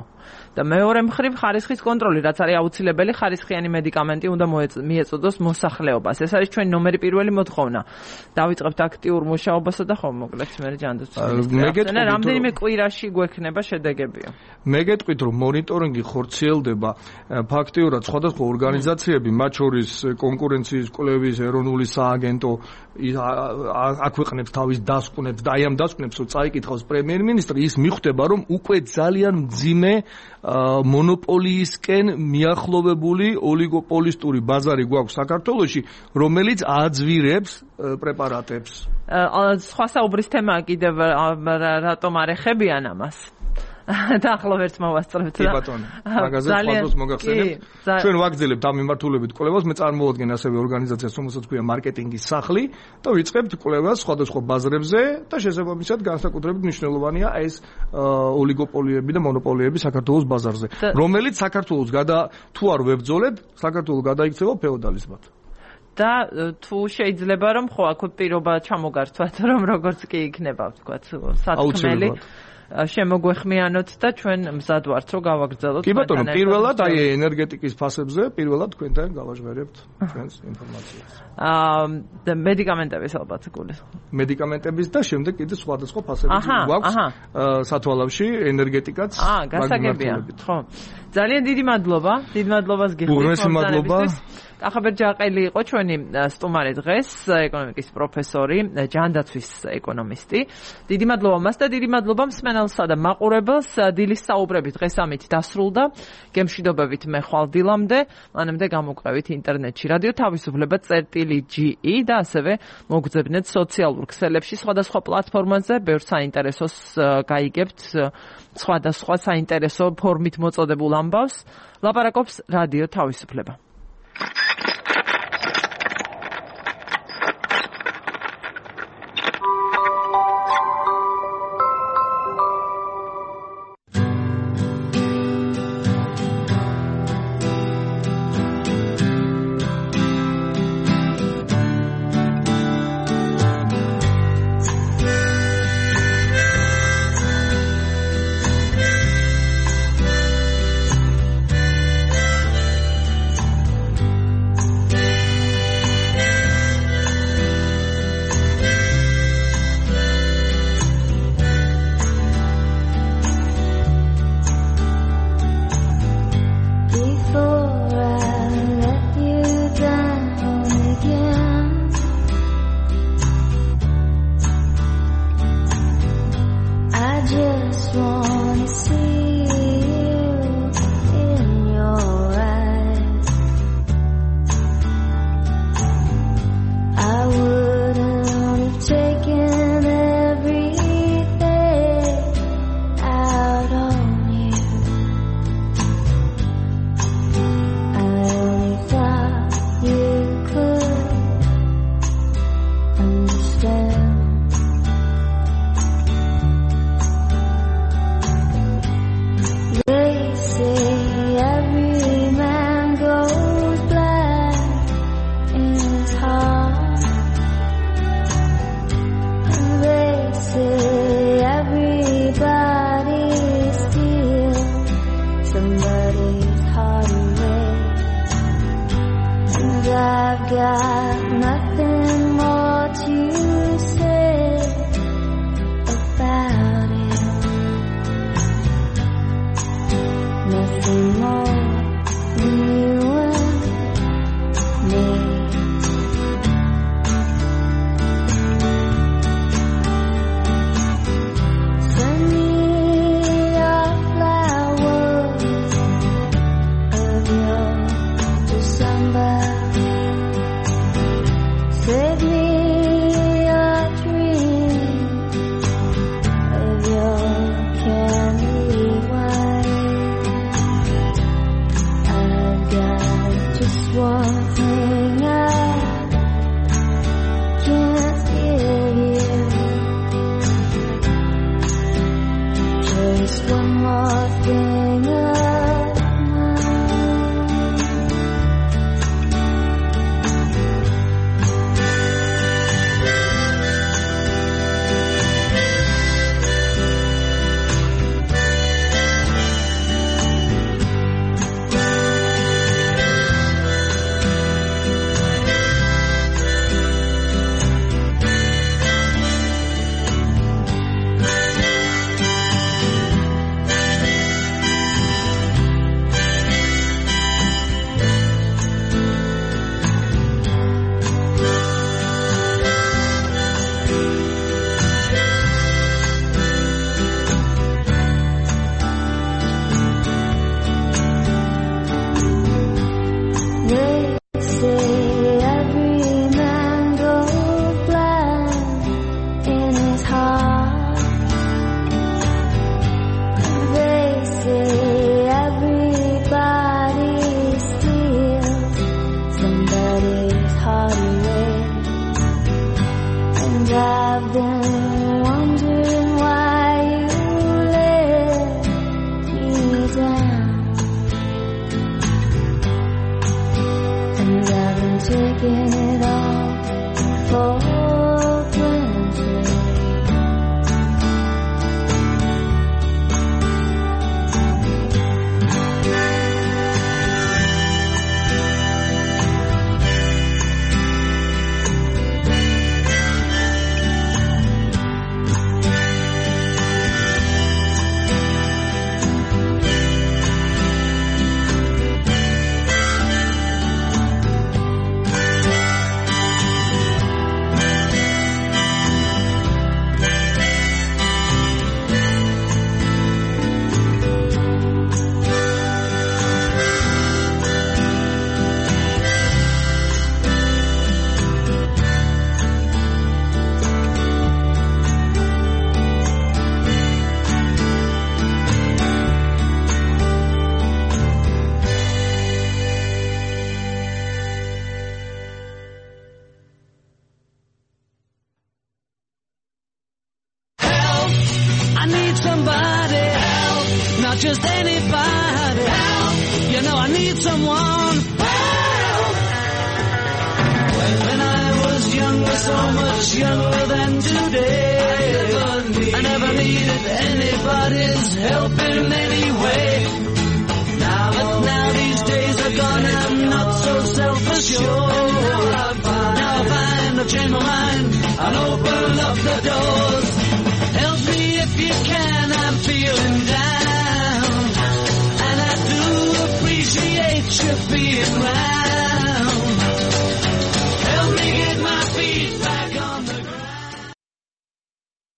და მეორე მხრივ ხარისხის კონტროლი, რაც არის აუცილებელი, ხარისხიანი მედიკამენტი უნდა მიეწოდოს მოსახლეობას. ეს არის ჩვენი ნომერი პირველი მოთხოვნა. დავიწყებთ აქტიურ მუშაობასა და ხომ მოკლედ მე ჯანდაცვის. რამდენიმე კვირაში გვექნება შედეგებიო. მე გეტყვით რომ მონიტორინგი ხორციელდება ფაქტიურად სხვადასხვა ორგანიზაციები, მათ შორის კონკურენციის კვლევის ეროვნული სააგენტო აქვეყნებს თავის დასკვნებს და აი ამ დასკვნებს რო წაიკითხავს პრემიერ-მინისტრი, ის მიხვდება რომ უკვე ძალიან მძიმე მონოპოლიისკენ მიახლოვებული ოლიგოპოლისტური ბაზარი გვაქვს საქართველოში, რომელიც აძვირებს პრეპარატებს. სხვა საუბრის თემაა კიდევ რატომ არ ეხებიან ამას? დაახლოებით მოვასწრებთ და კი ბატონო მაგაზე სხვადასხვა მოგახსენებთ ჩვენ ვაგრძელებთ ამ მიმართულებით კვლევას მე წარმოვადგენ ასევე ორგანიზაციას რომელსაც ქვია მარკეტინგის სახლი და ვიწყებთ კვლევას სხვადასხვა ბაზრებზე და შესაბამისად განსაკუთრებით მნიშვნელოვანია ეს ოლიგოპოლიები და მონოპოლიები საქართველოს ბაზარზე რომელიც საქართველოს თუ არ ვებრძოლებ საქართველოს გადაიქცევა ფეოდალიზმად და თუ შეიძლება რომ ხო აქ პირობა ჩამოგართვათ რომ როგორც კი იქნება თქვა სათქმელი შემოგვეხმიანოთ და ჩვენ მზად ვართ რომ გავაგრძელოთ. კი ბატონო, პირველად აი ენერგეტიკის ფასებზე პირველად თქვენთან გავაჟღერებთ ჩვენს ინფორმაციას. და მედიკამენტების ალბათ გული. მედიკამენტების და შემდეგ კიდე სხვადასხვა ფასები გვაქვს სათვალავში ენერგეტიკაც. გასაგებია. ხო. ძალიან დიდი მადლობა. დიდ მადლობას გიხდით. ახაბერ ჯაყელი იყო ჩვენი სტუმარი დღეს, ეკონომიკის პროფესორი, ჯანდაცვის ეკონომისტი. დიდი მადლობა მას და დიდი მადლობა მსმენელს. მსმენელსა და მაყურებელს დილის საუბრები დღეს ამით დასრულდა. გემშვიდობებით მე ხვალ დილამდე, მანამდე გამოგვყევით ინტერნეტში რადიო თავისუფლება.ge და ასევე მოგძებნეთ სოციალურ ქსელებში სხვადასხვა პლატფორმაზე, ბევრ საინტერესოს გაიგებთ, სხვადასხვა საინტერესო ფორმით მოწოდებულ ამბავს. ლაპარაკობს რადიო თავისუფლება. need somebody help, not just anybody help. You know I need someone help. When I was younger, so much younger than today, I never needed anybody's help in any way. But now these days are gone and I'm not so self-assured. Now I find I've changed my mind and open up the door.